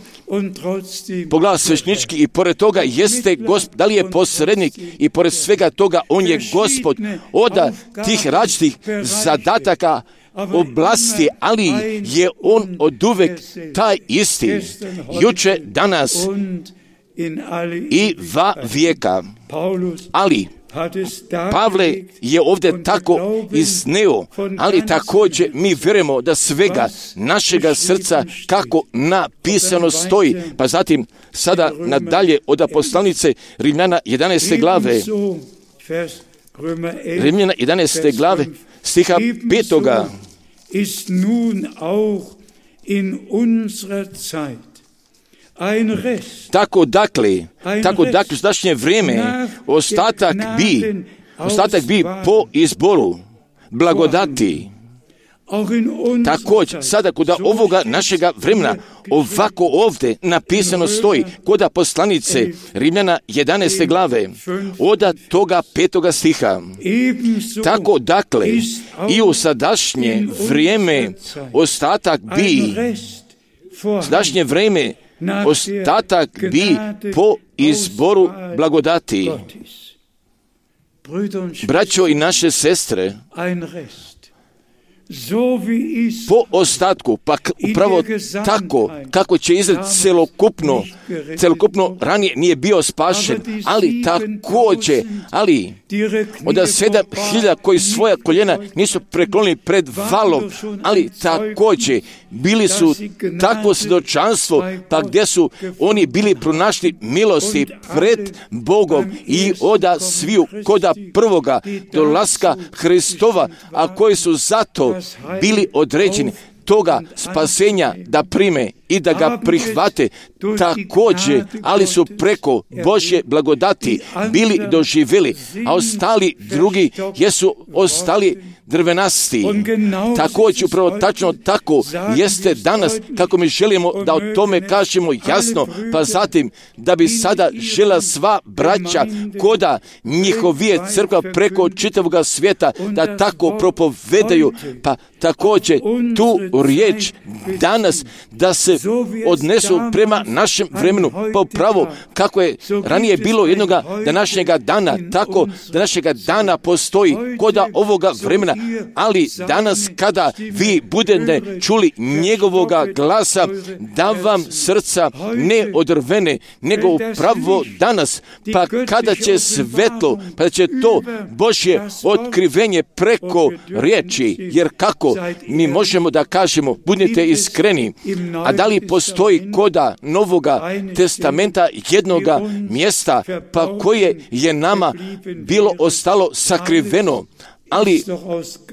poglavar sveštenički i pored toga jeste Gospod, da li je posrednik i pored svega toga on je Gospod od tih različitih zadataka oblasti, ali je on oduvek taj isti, juče, danas i va vijeka. Ali Pavle je ovdje tako izneo, ali također mi vjerujemo da svega našega srca kako napisano stoji. Pa zatim sada nadalje od poslanice Rimljana jedanaeste glave, Rimljana jedanaeste glave, stiha petoga. Tako dakle, tako dakle, u današnje vrijeme ostatak bi, ostatak bi po izboru blagodati. Također, sada kod ovoga našega vremena, ovako ovdje napisano stoji, kod poslanice Rimljana jedanaeste glave, od toga petoga stiha. Tako dakle, i u sadašnje vrijeme ostatak bi, sadašnje vrijeme ostatak bi po izboru blagodati. Braćo i naše sestre, po ostatku, pa upravo tako kako će izgled celokupno, celokupno ranije nije bio spašen, ali također, ali od sedam hiljada koji svoja koljena nisu preklonili pred valom, ali također bili su takvo svjedočanstvo, pa gdje su oni bili pronašli milosti pred Bogom i oda sviju koda prvoga dolaska Hristova, a koji su zato bili određeni toga spasenja da prime i da ga prihvate također, ali su preko Božje blagodati bili doživjeli, a ostali drugi jesu ostali drvenasti. Također, upravo tačno tako jeste danas, kako mi želimo da o tome kažemo jasno, pa zatim da bi sada žela sva braća koda njihovije crkva preko čitavog svijeta da tako propovedaju, pa također tu riječ danas da se odnesu prema našem vremenu, pa upravo kako je ranije bilo jednoga današnjega dana, tako današnjega dana postoji koda ovoga vremena, ali danas kada vi budete čuli njegovoga glasa, da vam srca ne odrvene, nego upravo danas, pa kada će svetlo, pa će to Božje otkrivenje preko riječi, jer kako mi možemo da kažemo, budite iskreni, a da li postoji koda Novoga testamenta jednoga mjesta, pa koje je nama bilo ostalo sakriveno, ali,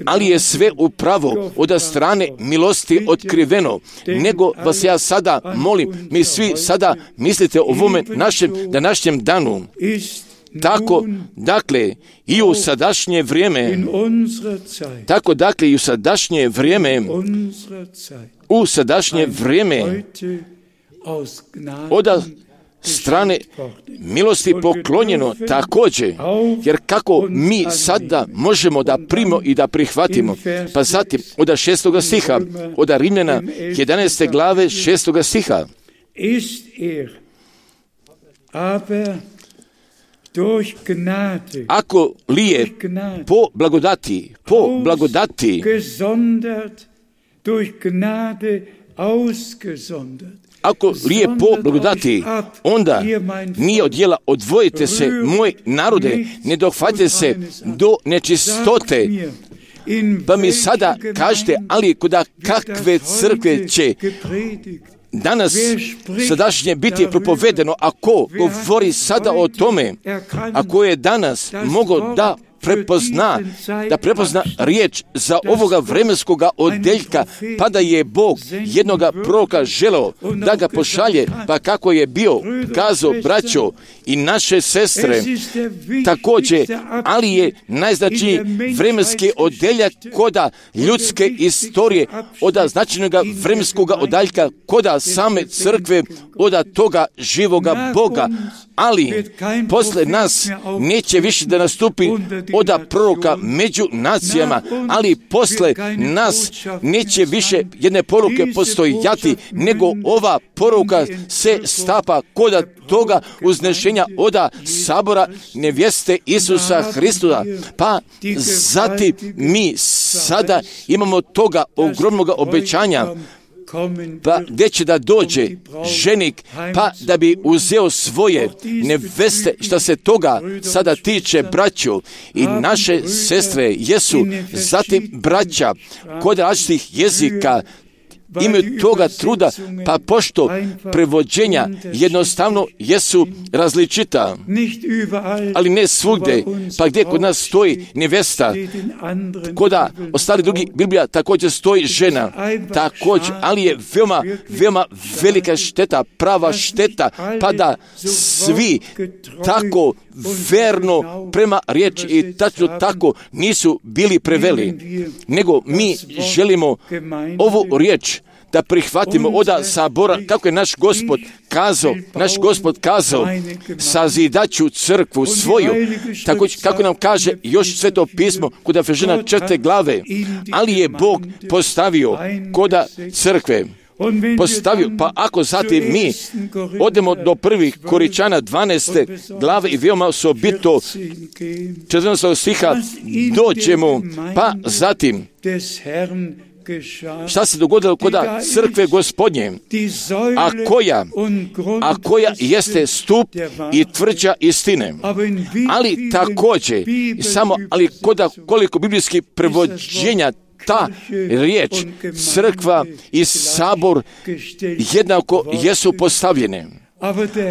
ali je sve upravo od strane milosti otkriveno. Nego vas ja sada molim, mi svi sada mislite o ovome našem današnjem danu. Tako, dakle, i u sadašnje vrijeme, tako, dakle, i u sadašnje vrijeme, u sadašnje vrijeme, od strane milosti poklonjeno također, jer kako mi sada možemo da primimo i da prihvatimo. Pa zatim, od šestoga stiha, od Rimljana jedanaeste glave šestoga stiha. Ako li je po blagodati, po blagodati, ako li je po blagodati, onda nije od djela odvojite se, moj narode, ne dohvatite se do nečistote. Pa mi sada kažete, ali kuda kakve crkve će danas sadašnje biti propovedeno, ako govori sada o tome, ako je danas mogo da prepozna, da prepozna riječ za ovoga vremenskoga odeljka, pa da je Bog jednoga proroka želeo da ga pošalje, pa kako je bio kazao braćo i naše sestre, također, ali je najznačajniji vremenski odeljak koda ljudske istorije, od značajnog vremenskoga odaljka koda same crkve, od toga živoga Boga, ali posle nas neće više da nastupi oda proroka među nacijama, ali posle nas neće više jedne poruke postojati, nego ova poruka se stapa koda toga uznešenja oda sabora nevjeste Isusa Hristusa. Pa zatim mi sada imamo toga ogromnog obećanja, pa gdje će da dođe ženik, pa da bi uzeo svoje neveste. Šta se toga sada tiče, braćo i naše sestre jesu zatim braća kod različitih jezika, imaju toga truda, pa pošto prevođenja jednostavno jesu različita, ali ne svugdje, pa gdje kod nas stoji nevesta, koda ostali drugi Biblija također stoji žena, također, ali je veoma, veoma velika šteta, prava šteta, pa da svi tako verno prema riječi i tačno tako nisu bili preveli, nego mi želimo ovu riječ da prihvatimo oda sabora, kako je naš Gospod kazao, naš Gospod kazao, sazidaću crkvu svoju, tako kako nam kaže još Sveto pismo kod Efežana četvrte glave, ali je Bog postavio koda crkve, postavio, pa ako zatim mi odemo do prvih Koričana dvanaeste glave i veoma osobito četrnaestog stiha dođemo, pa zatim šta se dogodilo koda crkve Gospodnje, a koja, a koja jeste stup i tvrđa istine, ali također, samo, ali koda koliko biblijskih prevođenja ta riječ, crkva i sabor jednako jesu postavljene.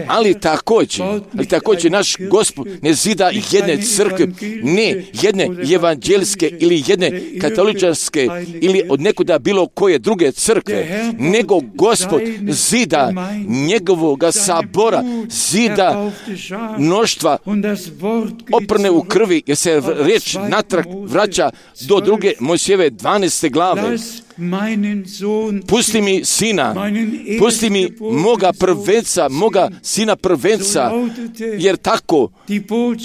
Ali također, ali također naš Gospod ne zida jedne crkve, ne jedne evanđelske ili jedne katoličarske ili od nekuda bilo koje druge crkve, nego Gospod zida njegovoga sabora, zida mnoštva oprne u krvi, jer se riječ natrag vraća do druge Mojsijeve dvanaeste glave. Pusti mi sina, pusti mi moga prvenca, moga sina prvenca, jer tako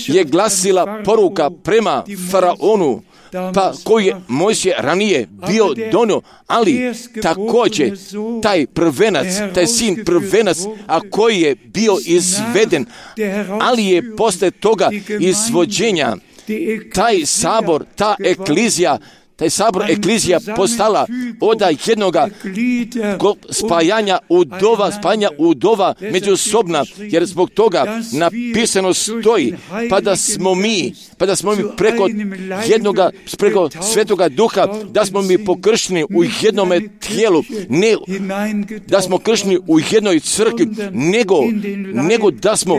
je glasila poruka prema faraonu, pa koji je Mojsije ranije bio donio, ali također taj prvenac, taj sin prvenac, a koji je bio izveden, ali je posle toga izvođenja taj sabor, ta eklizija, taj sabor eklizija postala od jednoga spajanja udova, spajanja udova međusobna, jer zbog toga napisano stoji, pa da smo mi, pa da smo mi preko jednoga, preko Svetoga Duha, da smo mi pokršteni u jednome tijelu, ne da smo kršteni u jednoj crkvi, nego, nego da smo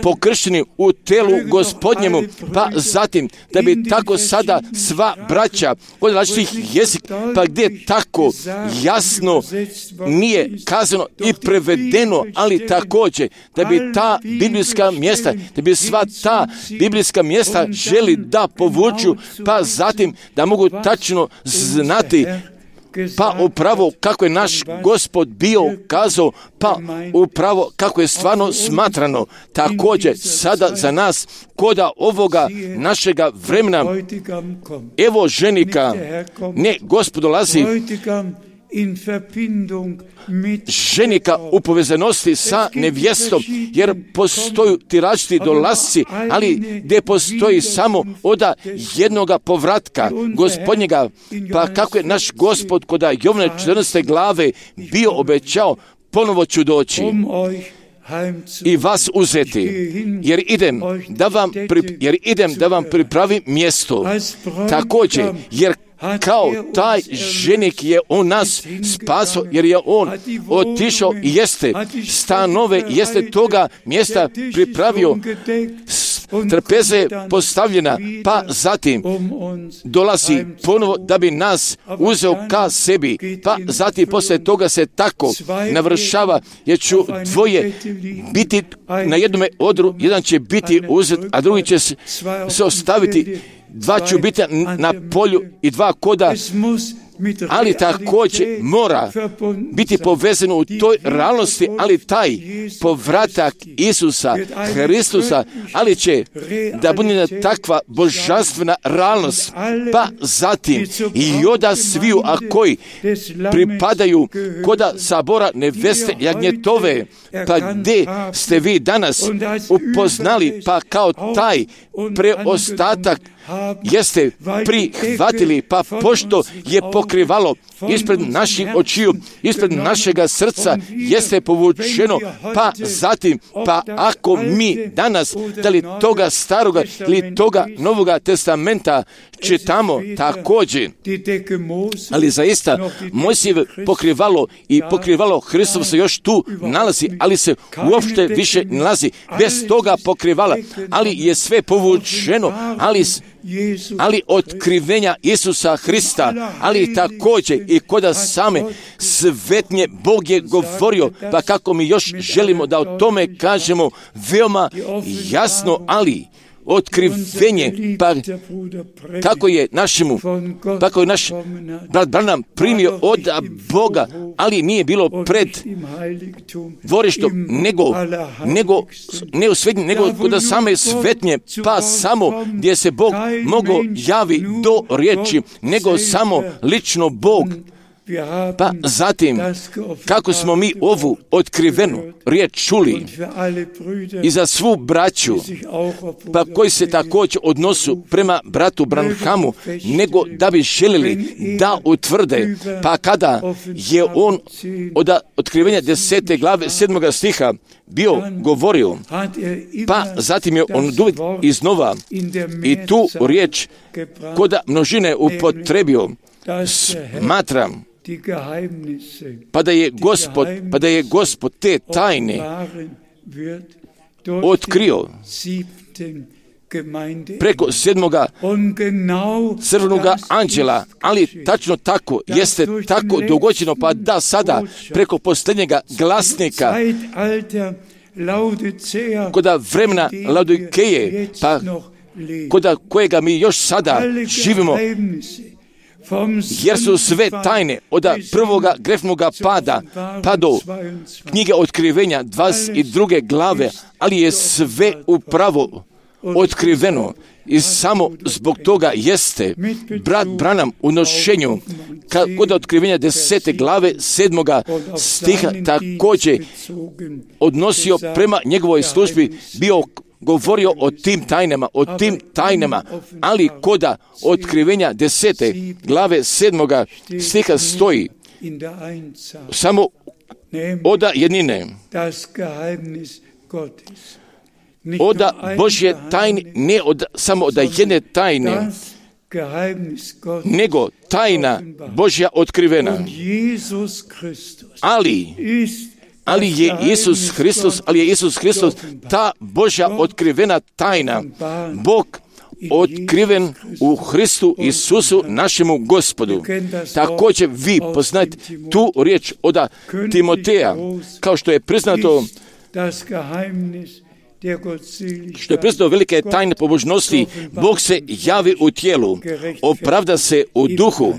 pokršteni u telu Gospodnjemu, pa zatim da bi tako sada sva braća od različitih jezika, pa gdje tako jasno nije kazano i prevedeno, ali također da bi ta biblijska mjesta, da bi sva ta biblijska mjesta želi da povuču, pa zatim da mogu tačno znati, pa upravo kako je naš Gospod bio kazao, pa upravo kako je stvarno smatrano. Također sada za nas koda ovoga našega vremena, evo ženika, ne Gospod dolazi, ženika u povezanosti sa nevjestom, jer postoju ti različiti dolasci, ali gdje postoji samo oda jednoga povratka Gospodnjega, pa kako je naš Gospod kod Jovane četrnaeste glave bio obećao, ponovo ću doći i vas uzeti, jer idem da vam, pri, jer idem da vam pripravim mjesto. Također, jer kao taj ženik je on nas spaso, jer je on otišao i jeste stanove, jeste toga mjesta pripravio, trpeze postavljena, pa zatim dolazi ponovo da bi nas uzeo ka sebi, pa zatim poslije toga se tako navršava, jer ću dvoje biti na jednome odru, jedan će biti uzet, a drugi će se ostaviti, dva će biti na polju i dva koda, ali također mora biti povezano u toj realnosti, ali taj povratak Isusa Hristusa, ali će da bude takva božanstvena realnost, pa zatim i oda sviju, a koji pripadaju koda sabora neveste jagnjetove, pa gdje ste vi danas upoznali, pa kao taj preostatak jeste prihvatili, pa pošto je pokrivalo ispred naših očiju, ispred našega srca jeste povučeno, pa zatim, pa ako mi danas, da li toga staroga ili toga novoga testamenta čitamo također, ali zaista Mojsijevo pokrivalo i pokrivalo Hristovo se još tu nalazi, ali se uopšte više nalazi bez toga pokrivala, ali je sve povučeno, ali ali otkrivenja Isusa Hrista, ali također i koda same svetnje Bog je govorio, pa kako mi još želimo da o tome kažemo veoma jasno, ali otkrivenje, pa kako je našemu, kako je naš brat Branham primio od Boga, ali nije bilo pred dvorištom, nego, nego, ne u svetnje, nego kod same svetnje, pa samo gdje se Bog mogo javi do riječi, nego samo lično Bog. Pa zatim, kako smo mi ovu otkrivenu riječ čuli i za svu braću, pa koji se također odnosu prema bratu Branhamu, nego da bi željeli da utvrde, pa kada je on od otkrivenja desete glave sedmoga stiha bio govorio, pa zatim je on iznova i tu riječ koda množine upotrebio, smatram, pa da je Gospod, pa da je Gospod te tajne otkrio preko sedmoga crvenoga anđela, ali tačno tako, jeste tako dogođeno, pa da sada preko posljednjega glasnika koda vremena Laodikeje, pa koda kojega mi još sada živimo, jer su sve tajne od prvoga grefnoga pada pa do knjige otkrivenja dvadeset druge glave, ali je sve upravo otkriveno. I samo zbog toga jeste brat Branham u nošenju kod otkrivenja desete glave sedmoga stiha također odnosio prema njegovoj službi, bio govorio o tim tajnama, o tim tajnama, ali koda otkrivenja desete glave sedmoga stiha stoji samo oda jednine, oda Božje tajne, ne od, samo od jedne tajne, nego tajna Božja otkrivena. Ali, ali je Isus Hristos, ali je Isus Hristos ta Božja otkrivena tajna, Bog otkriven u Hristu Isusu našemu Gospodu. Također vi poznajete tu riječ od Timoteja, kao što je priznato što je priznato velike tajne pobožnosti, Bog se javi u tijelu, opravda se u duhu.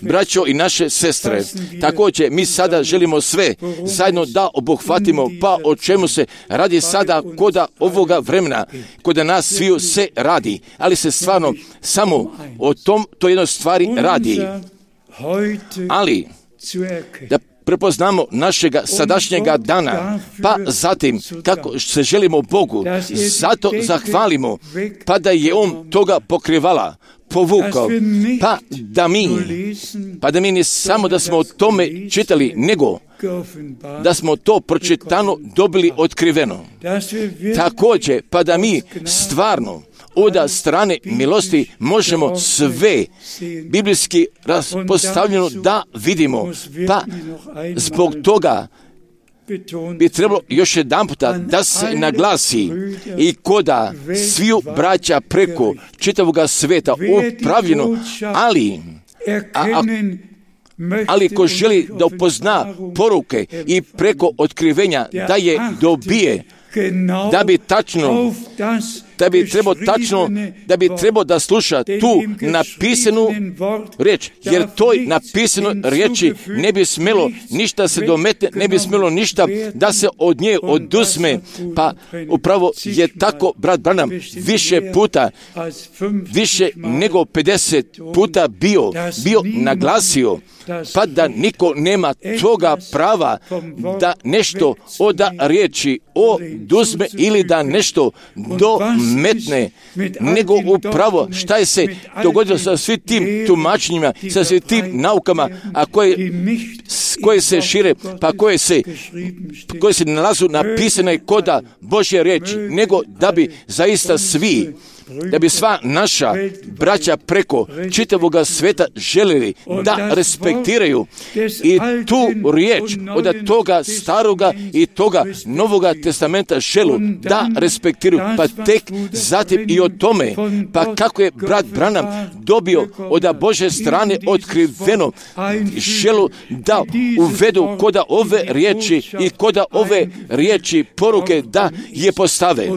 Braćo i naše sestre, također mi sada želimo sve zajedno da obuhvatimo, pa o čemu se radi sada koda ovoga vremena, koda nas sviju se radi, ali se stvarno samo o tom, to jednoj stvari radi. Ali, da prepoznamo našega sadašnjega dana, pa zatim kako se želimo Bogu, zato zahvalimo, pa da je On toga pokrivala, povukao, pa da mi, pa da mi ne samo da smo o tome čitali, nego da smo to pročitano dobili otkriveno. Također, pa da mi stvarno od strane milosti možemo sve biblijski postavljeno da vidimo, pa zbog toga bi trebalo još jedan puta da se naglasi i koda sviju braća preko čitavoga sveta upravljeno, ali a, a, ali ko želi da upozna poruke i preko otkrivenja da je dobije, da bi tačno, da bi trebao tačno, da bi trebao da sluša tu napisanu riječ, jer toj napisano riječi ne bi smjelo ništa se dometne, ne bi smjelo ništa da se od nje oduzme, pa upravo je tako brat Branham više puta, više nego pedeset puta bio, bio naglasio, pa da niko nema toga prava da nešto od riječi oduzme ili da nešto dometne, nego upravo šta je se dogodilo sa svim tim tumačenjima, sa svim tim naukama, a koje, koje se šire, pa koje se, koje se nalazu napisane koda Božje riječi, nego da bi zaista svi, da bi sva naša braća preko čitavoga sveta željeli da respektiraju i tu riječ od toga staroga i toga novoga testamenta želu da respektiraju, pa tek zatim i o tome, pa kako je brat Branham dobio od Božje strane otkriveno želu da uvedu koda ove riječi i koda ove riječi poruke da je postave,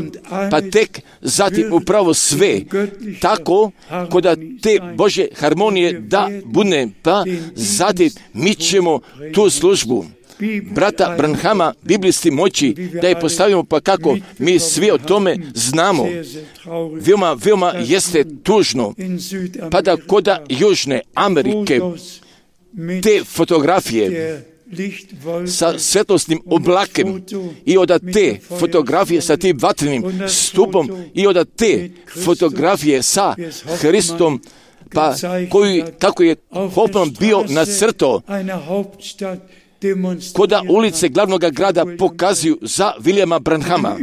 pa tek zatim upravo sve tako koda te Božje harmonije da bude, pa zatim mi ćemo tu službu brata Branhama biblisti moći da je postavimo, pa kako mi svi o tome znamo. Veoma, veoma jeste tužno, pa da koda Južne Amerike te fotografije sa svetlosnim oblakem i od te fotografije sa tim vatrenim stupom i od te fotografije sa Hristom, pa koji, kako je Hoffman bio nacrtao, koda ulice glavnog grada pokazuju za Williama Branhama,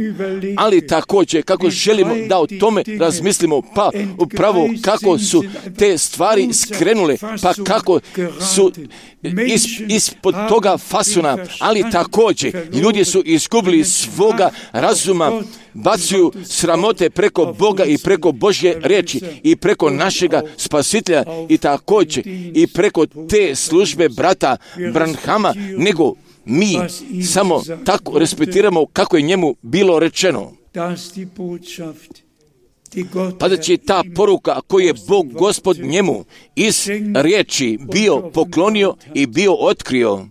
ali također kako želimo da o tome razmislimo, pa upravo kako su te stvari skrenule, pa kako su is, ispod toga fasona, ali također ljudi su izgubili svoga razuma, bacuju sramote preko Boga i preko Božje riječi i preko našega Spasitelja i također i preko te službe brata Branhama, nego mi samo tako respektiramo kako je njemu bilo rečeno. Pa da će ta poruka koju je Bog Gospod njemu iz riječi bio poklonio i bio otkrio,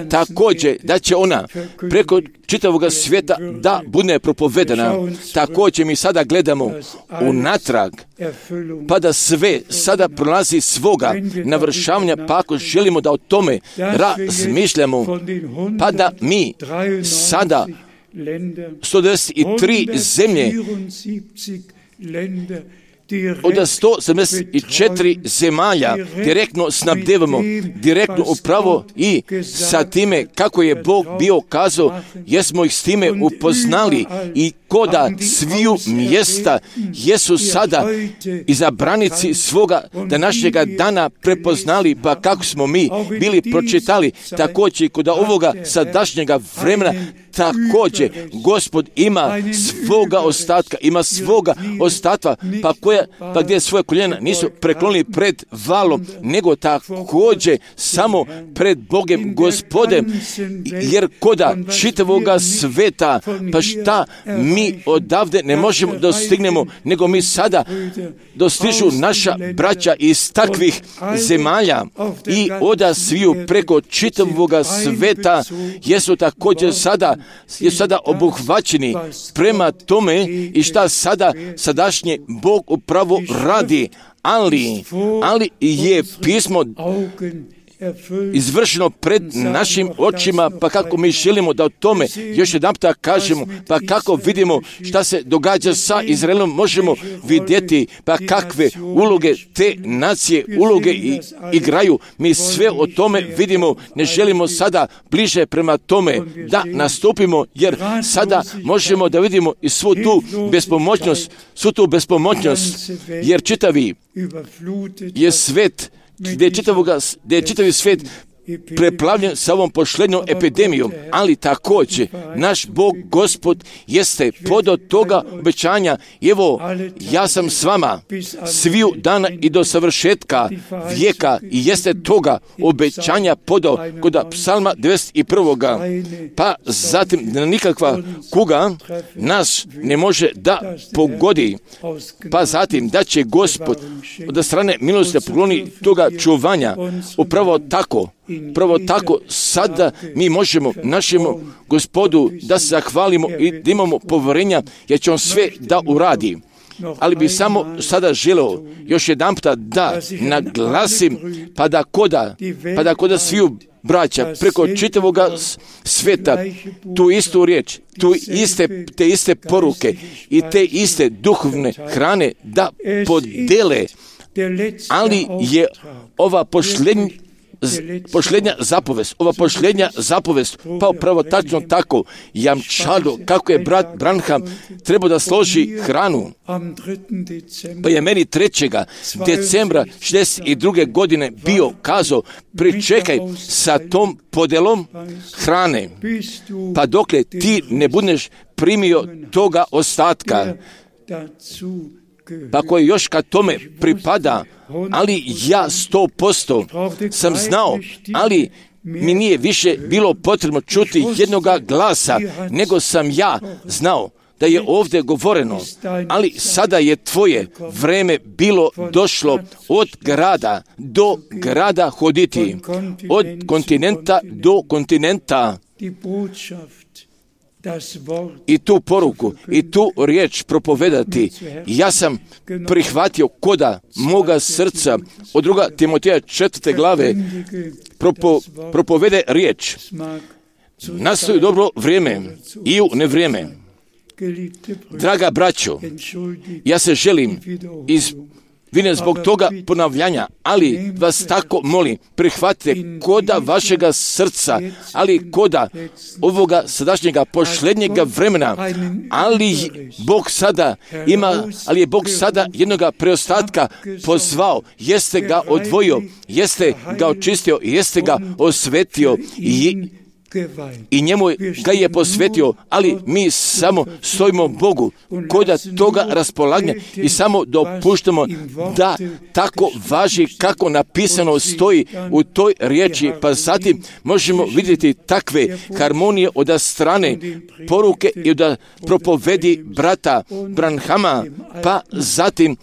također da će ona preko čitavog svijeta da bude propovedana. Također mi sada gledamo unatrag, pa da sve sada prolazi svoga navršavanja, pa ako želimo da o tome razmišljamo, pa da mi sada sto devedeset tri zemlje od sto sedamdeset četiri zemalja direktno snabdevamo, direktno upravo i sa time kako je Bog bio kazao, jesmo ih s time upoznali i koda sviju mjesta jesu sada izabranici svoga današnjega dana prepoznali, pa kako smo mi bili pročitali, također i kod ovoga sadašnjega vremena, također Gospod ima svoga ostatka, ima svoga ostatka, pa, koja, pa gdje svoje koljena nisu preklonili pred valom, nego također samo pred Bogem Gospodem, jer koda čitavoga sveta, pa šta mi odavde ne možemo dostignemo, nego mi sada dostižu naša braća iz takvih zemalja i oda sviju preko čitavoga sveta jesu također sada je sada obuhvaćeni prema tome i šta sada sadašnje Bog upravo radi, ali, ali je pismo izvršeno pred našim očima, pa kako mi želimo da o tome još jedan puta kažemo, pa kako vidimo šta se događa sa Izraelom, možemo vidjeti pa kakve uloge te nacije uloge i, igraju. Mi sve o tome vidimo, ne želimo sada bliže prema tome da nastupimo, jer sada možemo da vidimo i svu tu bespomoćnost, svu tu bespomoćnost, jer čitavi je svet gdje je, čitavoga, gdje je čitavi svijet preplavljen sa ovom pošlednjom epidemijom, ali također naš Bog Gospod jeste pod toga obećanja, evo ja sam s vama sviju dana i do savršetka vijeka, i jeste toga obećanja podao kod psalma devedeset jedan. Pa zatim nikakva kuga nas ne može da pogodi, pa zatim da će Gospod od strane milosti pokloni toga čuvanja. Upravo tako Pravo tako sada mi možemo našemu Gospodu da se zahvalimo i da imamo povjerenja, jer će on sve da uradi. Ali bi samo sada želeo još jedan puta da naglasim, pa da koda, pa da koda sviju braća preko čitavoga sveta tu istu riječ, tu iste, te iste poruke i te iste duhovne hrane da podele, ali je ova pošlednja pošlednja zapovest, ova pošlednja zapovest, pa upravo tačno tako jamčalo kako je brat Branham trebao da složi hranu. Pa je meni trećega decembra šezdeset druge godine bio kazao, pričekaj sa tom podelom hrane, pa dokle ti ne budeš primio toga ostatka, pa koji još kad tome pripada, ali ja sto posto sam znao, ali mi nije više bilo potrebno čuti jednoga glasa, nego sam ja znao da je ovdje govoreno, ali sada je tvoje vreme bilo došlo od grada do grada hoditi, od kontinenta do kontinenta. I tu poruku, i tu riječ propovedati, ja sam prihvatio koda moga srca. Od druga Timoteja četvrte glave propo, propovede riječ. Nastoji dobro vrijeme i u nevrijeme. Draga braćo, ja se želim iz vine zbog toga ponavljanja, ali vas tako molim, prihvatite koda vašega srca, ali koda ovoga sadašnjega pošlednjega vremena, ali Bog sada ima, ali je Bog sada jednoga preostatka pozvao, jeste ga odvojio, jeste ga očistio, jeste ga osvetio i i njemu ga je posvetio, ali mi samo stojimo Bogu koda toga raspolaganja i samo dopuštamo da tako važi kako napisano stoji u toj riječi, pa zatim možemo vidjeti takve harmonije od strane poruke i od propovedi brata Branhama, pa zatim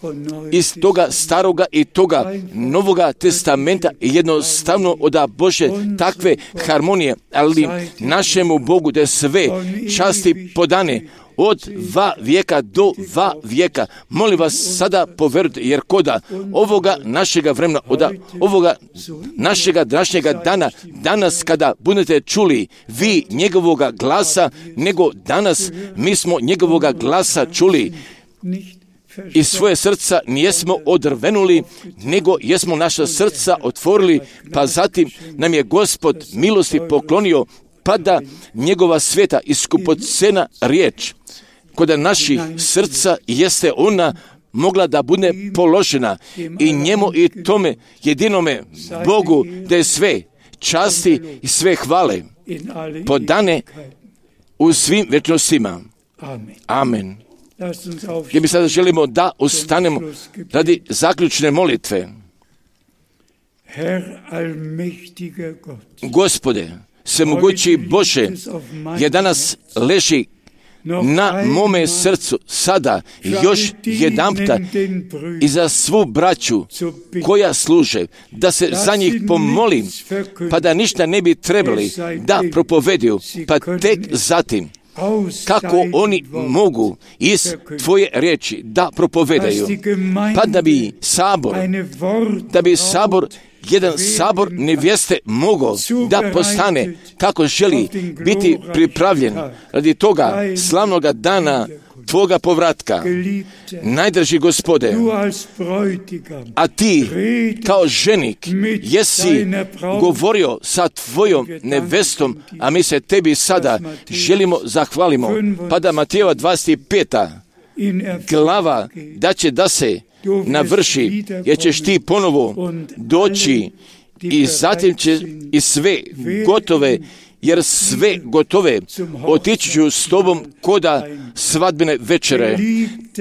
iz toga staroga i toga novoga testamenta jednostavno oda Bože takve harmonije, ali našemu Bogu da sve časti podane od dva vijeka do dva vijeka. Molim vas sada poverujte, jer koda ovoga našega vremena, od ovoga našega današnjega dana, danas kada budete čuli vi njegovoga glasa, nego danas mi smo njegovoga glasa čuli i svoje srca nijesmo odrvenuli, nego jesmo naša srca otvorili, pa zatim nam je Gospod milosti poklonio, pa da njegova sveta i skupocena riječ kod naših srca jeste ona mogla da bude položena i njemu i tome jedinome Bogu da je sve časti i sve hvale podane u svim večnostima. Amen. Gdje mi sada želimo da ustanemo radi zaključne molitve. Gospode, svemogući Bože, je danas leži na mome srcu sada još jedanputa i za svu braću koja služe, da se za njih pomolim, pa da ništa ne bi trebali da propoveduju, pa tek zatim kako oni mogu iz Tvoje riječi da propovedaju, pa da bi sabor, da bi sabor jedan sabor nevjeste mogao da postane kako želi biti pripravljen radi toga slavnoga dana Tvoga povratka. Najdraži Gospode, a Ti kao ženik jesi govorio sa Tvojom nevestom, a mi se Tebi sada želimo zahvalimo. Pa da Matejeva dvadeset peta glava da će da se navrši, jer ćeš Ti ponovo doći i zatim će i sve gotove, jer sve gotove otići ću s Tobom koda svadbene večere.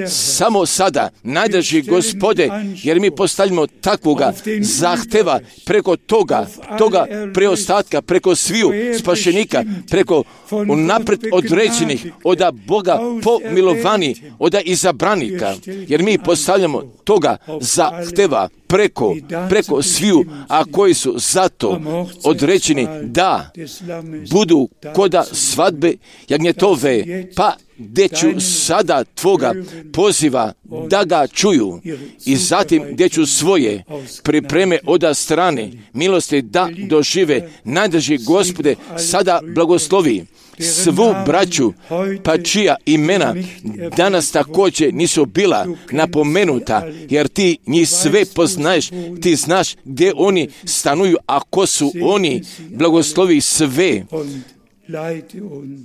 Samo sada, najdraži Gospode, jer mi postavljamo takvoga zahteva preko toga, toga preostatka, preko sviju spašenika, preko unapred određenih, oda Boga pomilovanih, oda izabranika, jer mi postavljamo toga zahteva preko, preko sviju, a koji su zato određeni da budu koda svadbe jagnjetove, pa gdje ću sada Tvoga poziva da ga čuju i zatim gdje ću svoje pripreme oda strane milosti da dožive. Najdraži Gospode, sada blagoslovi svu braću, pa čija imena danas također nisu bila napomenuta, jer Ti njih sve poznaješ, Ti znaš gdje oni stanuju, a ko su oni. Blagoslovi sve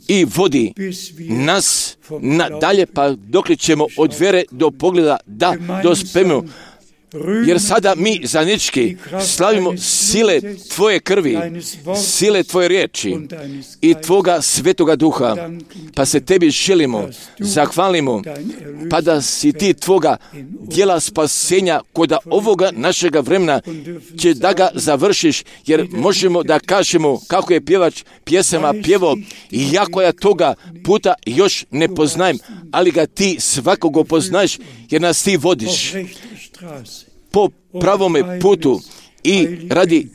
i vodi nas nadalje, pa dokle ćemo od vjere do pogleda da dospemo. Jer sada mi zajednički slavimo sile Tvoje krvi, sile Tvoje riječi i Tvoga svetoga duha, pa se Tebi želimo, zahvalimo, pa da si Ti Tvoga djela spasenja koda ovoga našega vremena će da ga završiš, jer možemo da kažemo kako je pjevač pjesama pjevao, iako ja toga puta još ne poznajem, ali ga Ti svakoga poznaješ, jer nas Ti vodiš po pravome putu i radi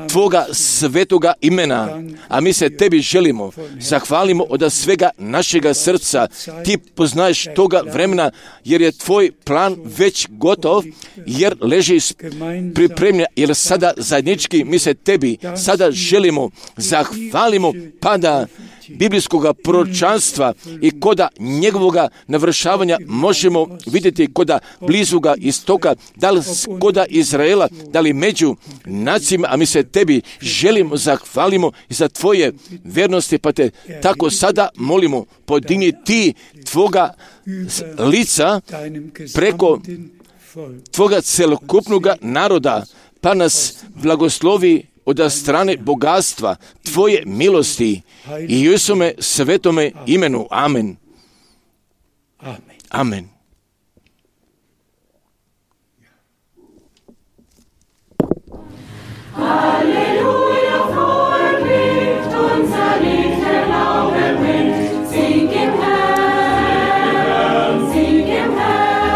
Tvoga svetoga imena, a mi se Tebi želimo, zahvalimo od svega našega srca. Ti poznaješ toga vremena, jer je Tvoj plan već gotov, jer leži pripremljen, jer sada zajednički mi se Tebi sada želimo, zahvalimo, pa da biblijskoga proročanstva i koda njegovoga navršavanja možemo vidjeti koda blizuga istoka, da li koda Izraela, da li među nacijama, a mi se Tebi želimo, zahvalimo za Tvoje vjernosti, pa Te tako sada molimo, podigni Ti Tvoga lica preko Tvoga celokupnoga naroda, pa nas blagoslovi od strane bogatstva Tvoje milosti i u Isume svetome imenu. Amen. Amen. Halleluja, frohe Glück, unser Lied der Glaube bringt. Sing im Herrn, sing im Herrn.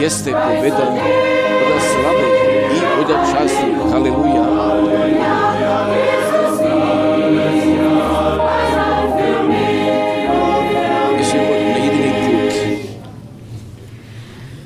jeste pobjeda od slave i od časti. Haleluja. Mislim, na jedini put.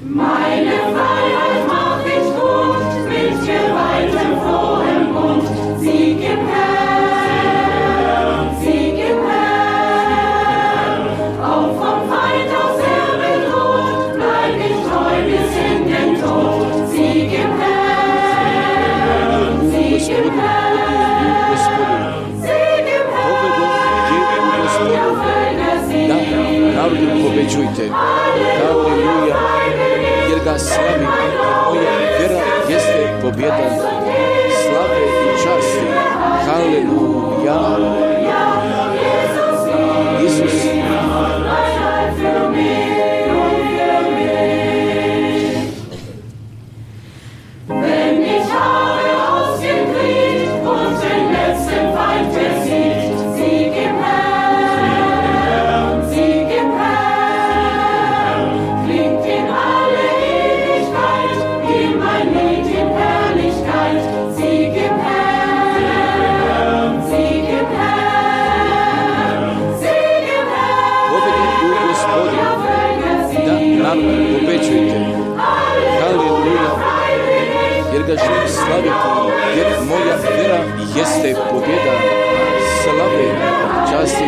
Meine Freiheit mach ich gut, mit gewaltem frohem Mund. Sieg im Herrn, Sieg im Herrn. Auch vom Feind aus er bedroht, bleib ich treu bis in den Tod. Sieg im Herrn, Sieg im Herrn. Sieg im Herrn, ja Völker Sieg. Narodu pobeđujte. Haleluja. Jer ga slavi. Moja vjera jeste pobjeda. Slave i časti. Haleluja. Isus. Wenn ich habe ausgekriegt und den letzten Feind besiegt, Sieg im Herrn, Sieg im Herrn, klingt in alle Ewigkeit, in mein Lied in Herrlichkeit, Sieg im Herrn, Sieg im Herrn, Sieg im Herrn, ja Völker Sieg, Pobeđujte. Haleluja. Jer ga želim slaviti, jer moja vjera jeste pobjeda. Slave, časti,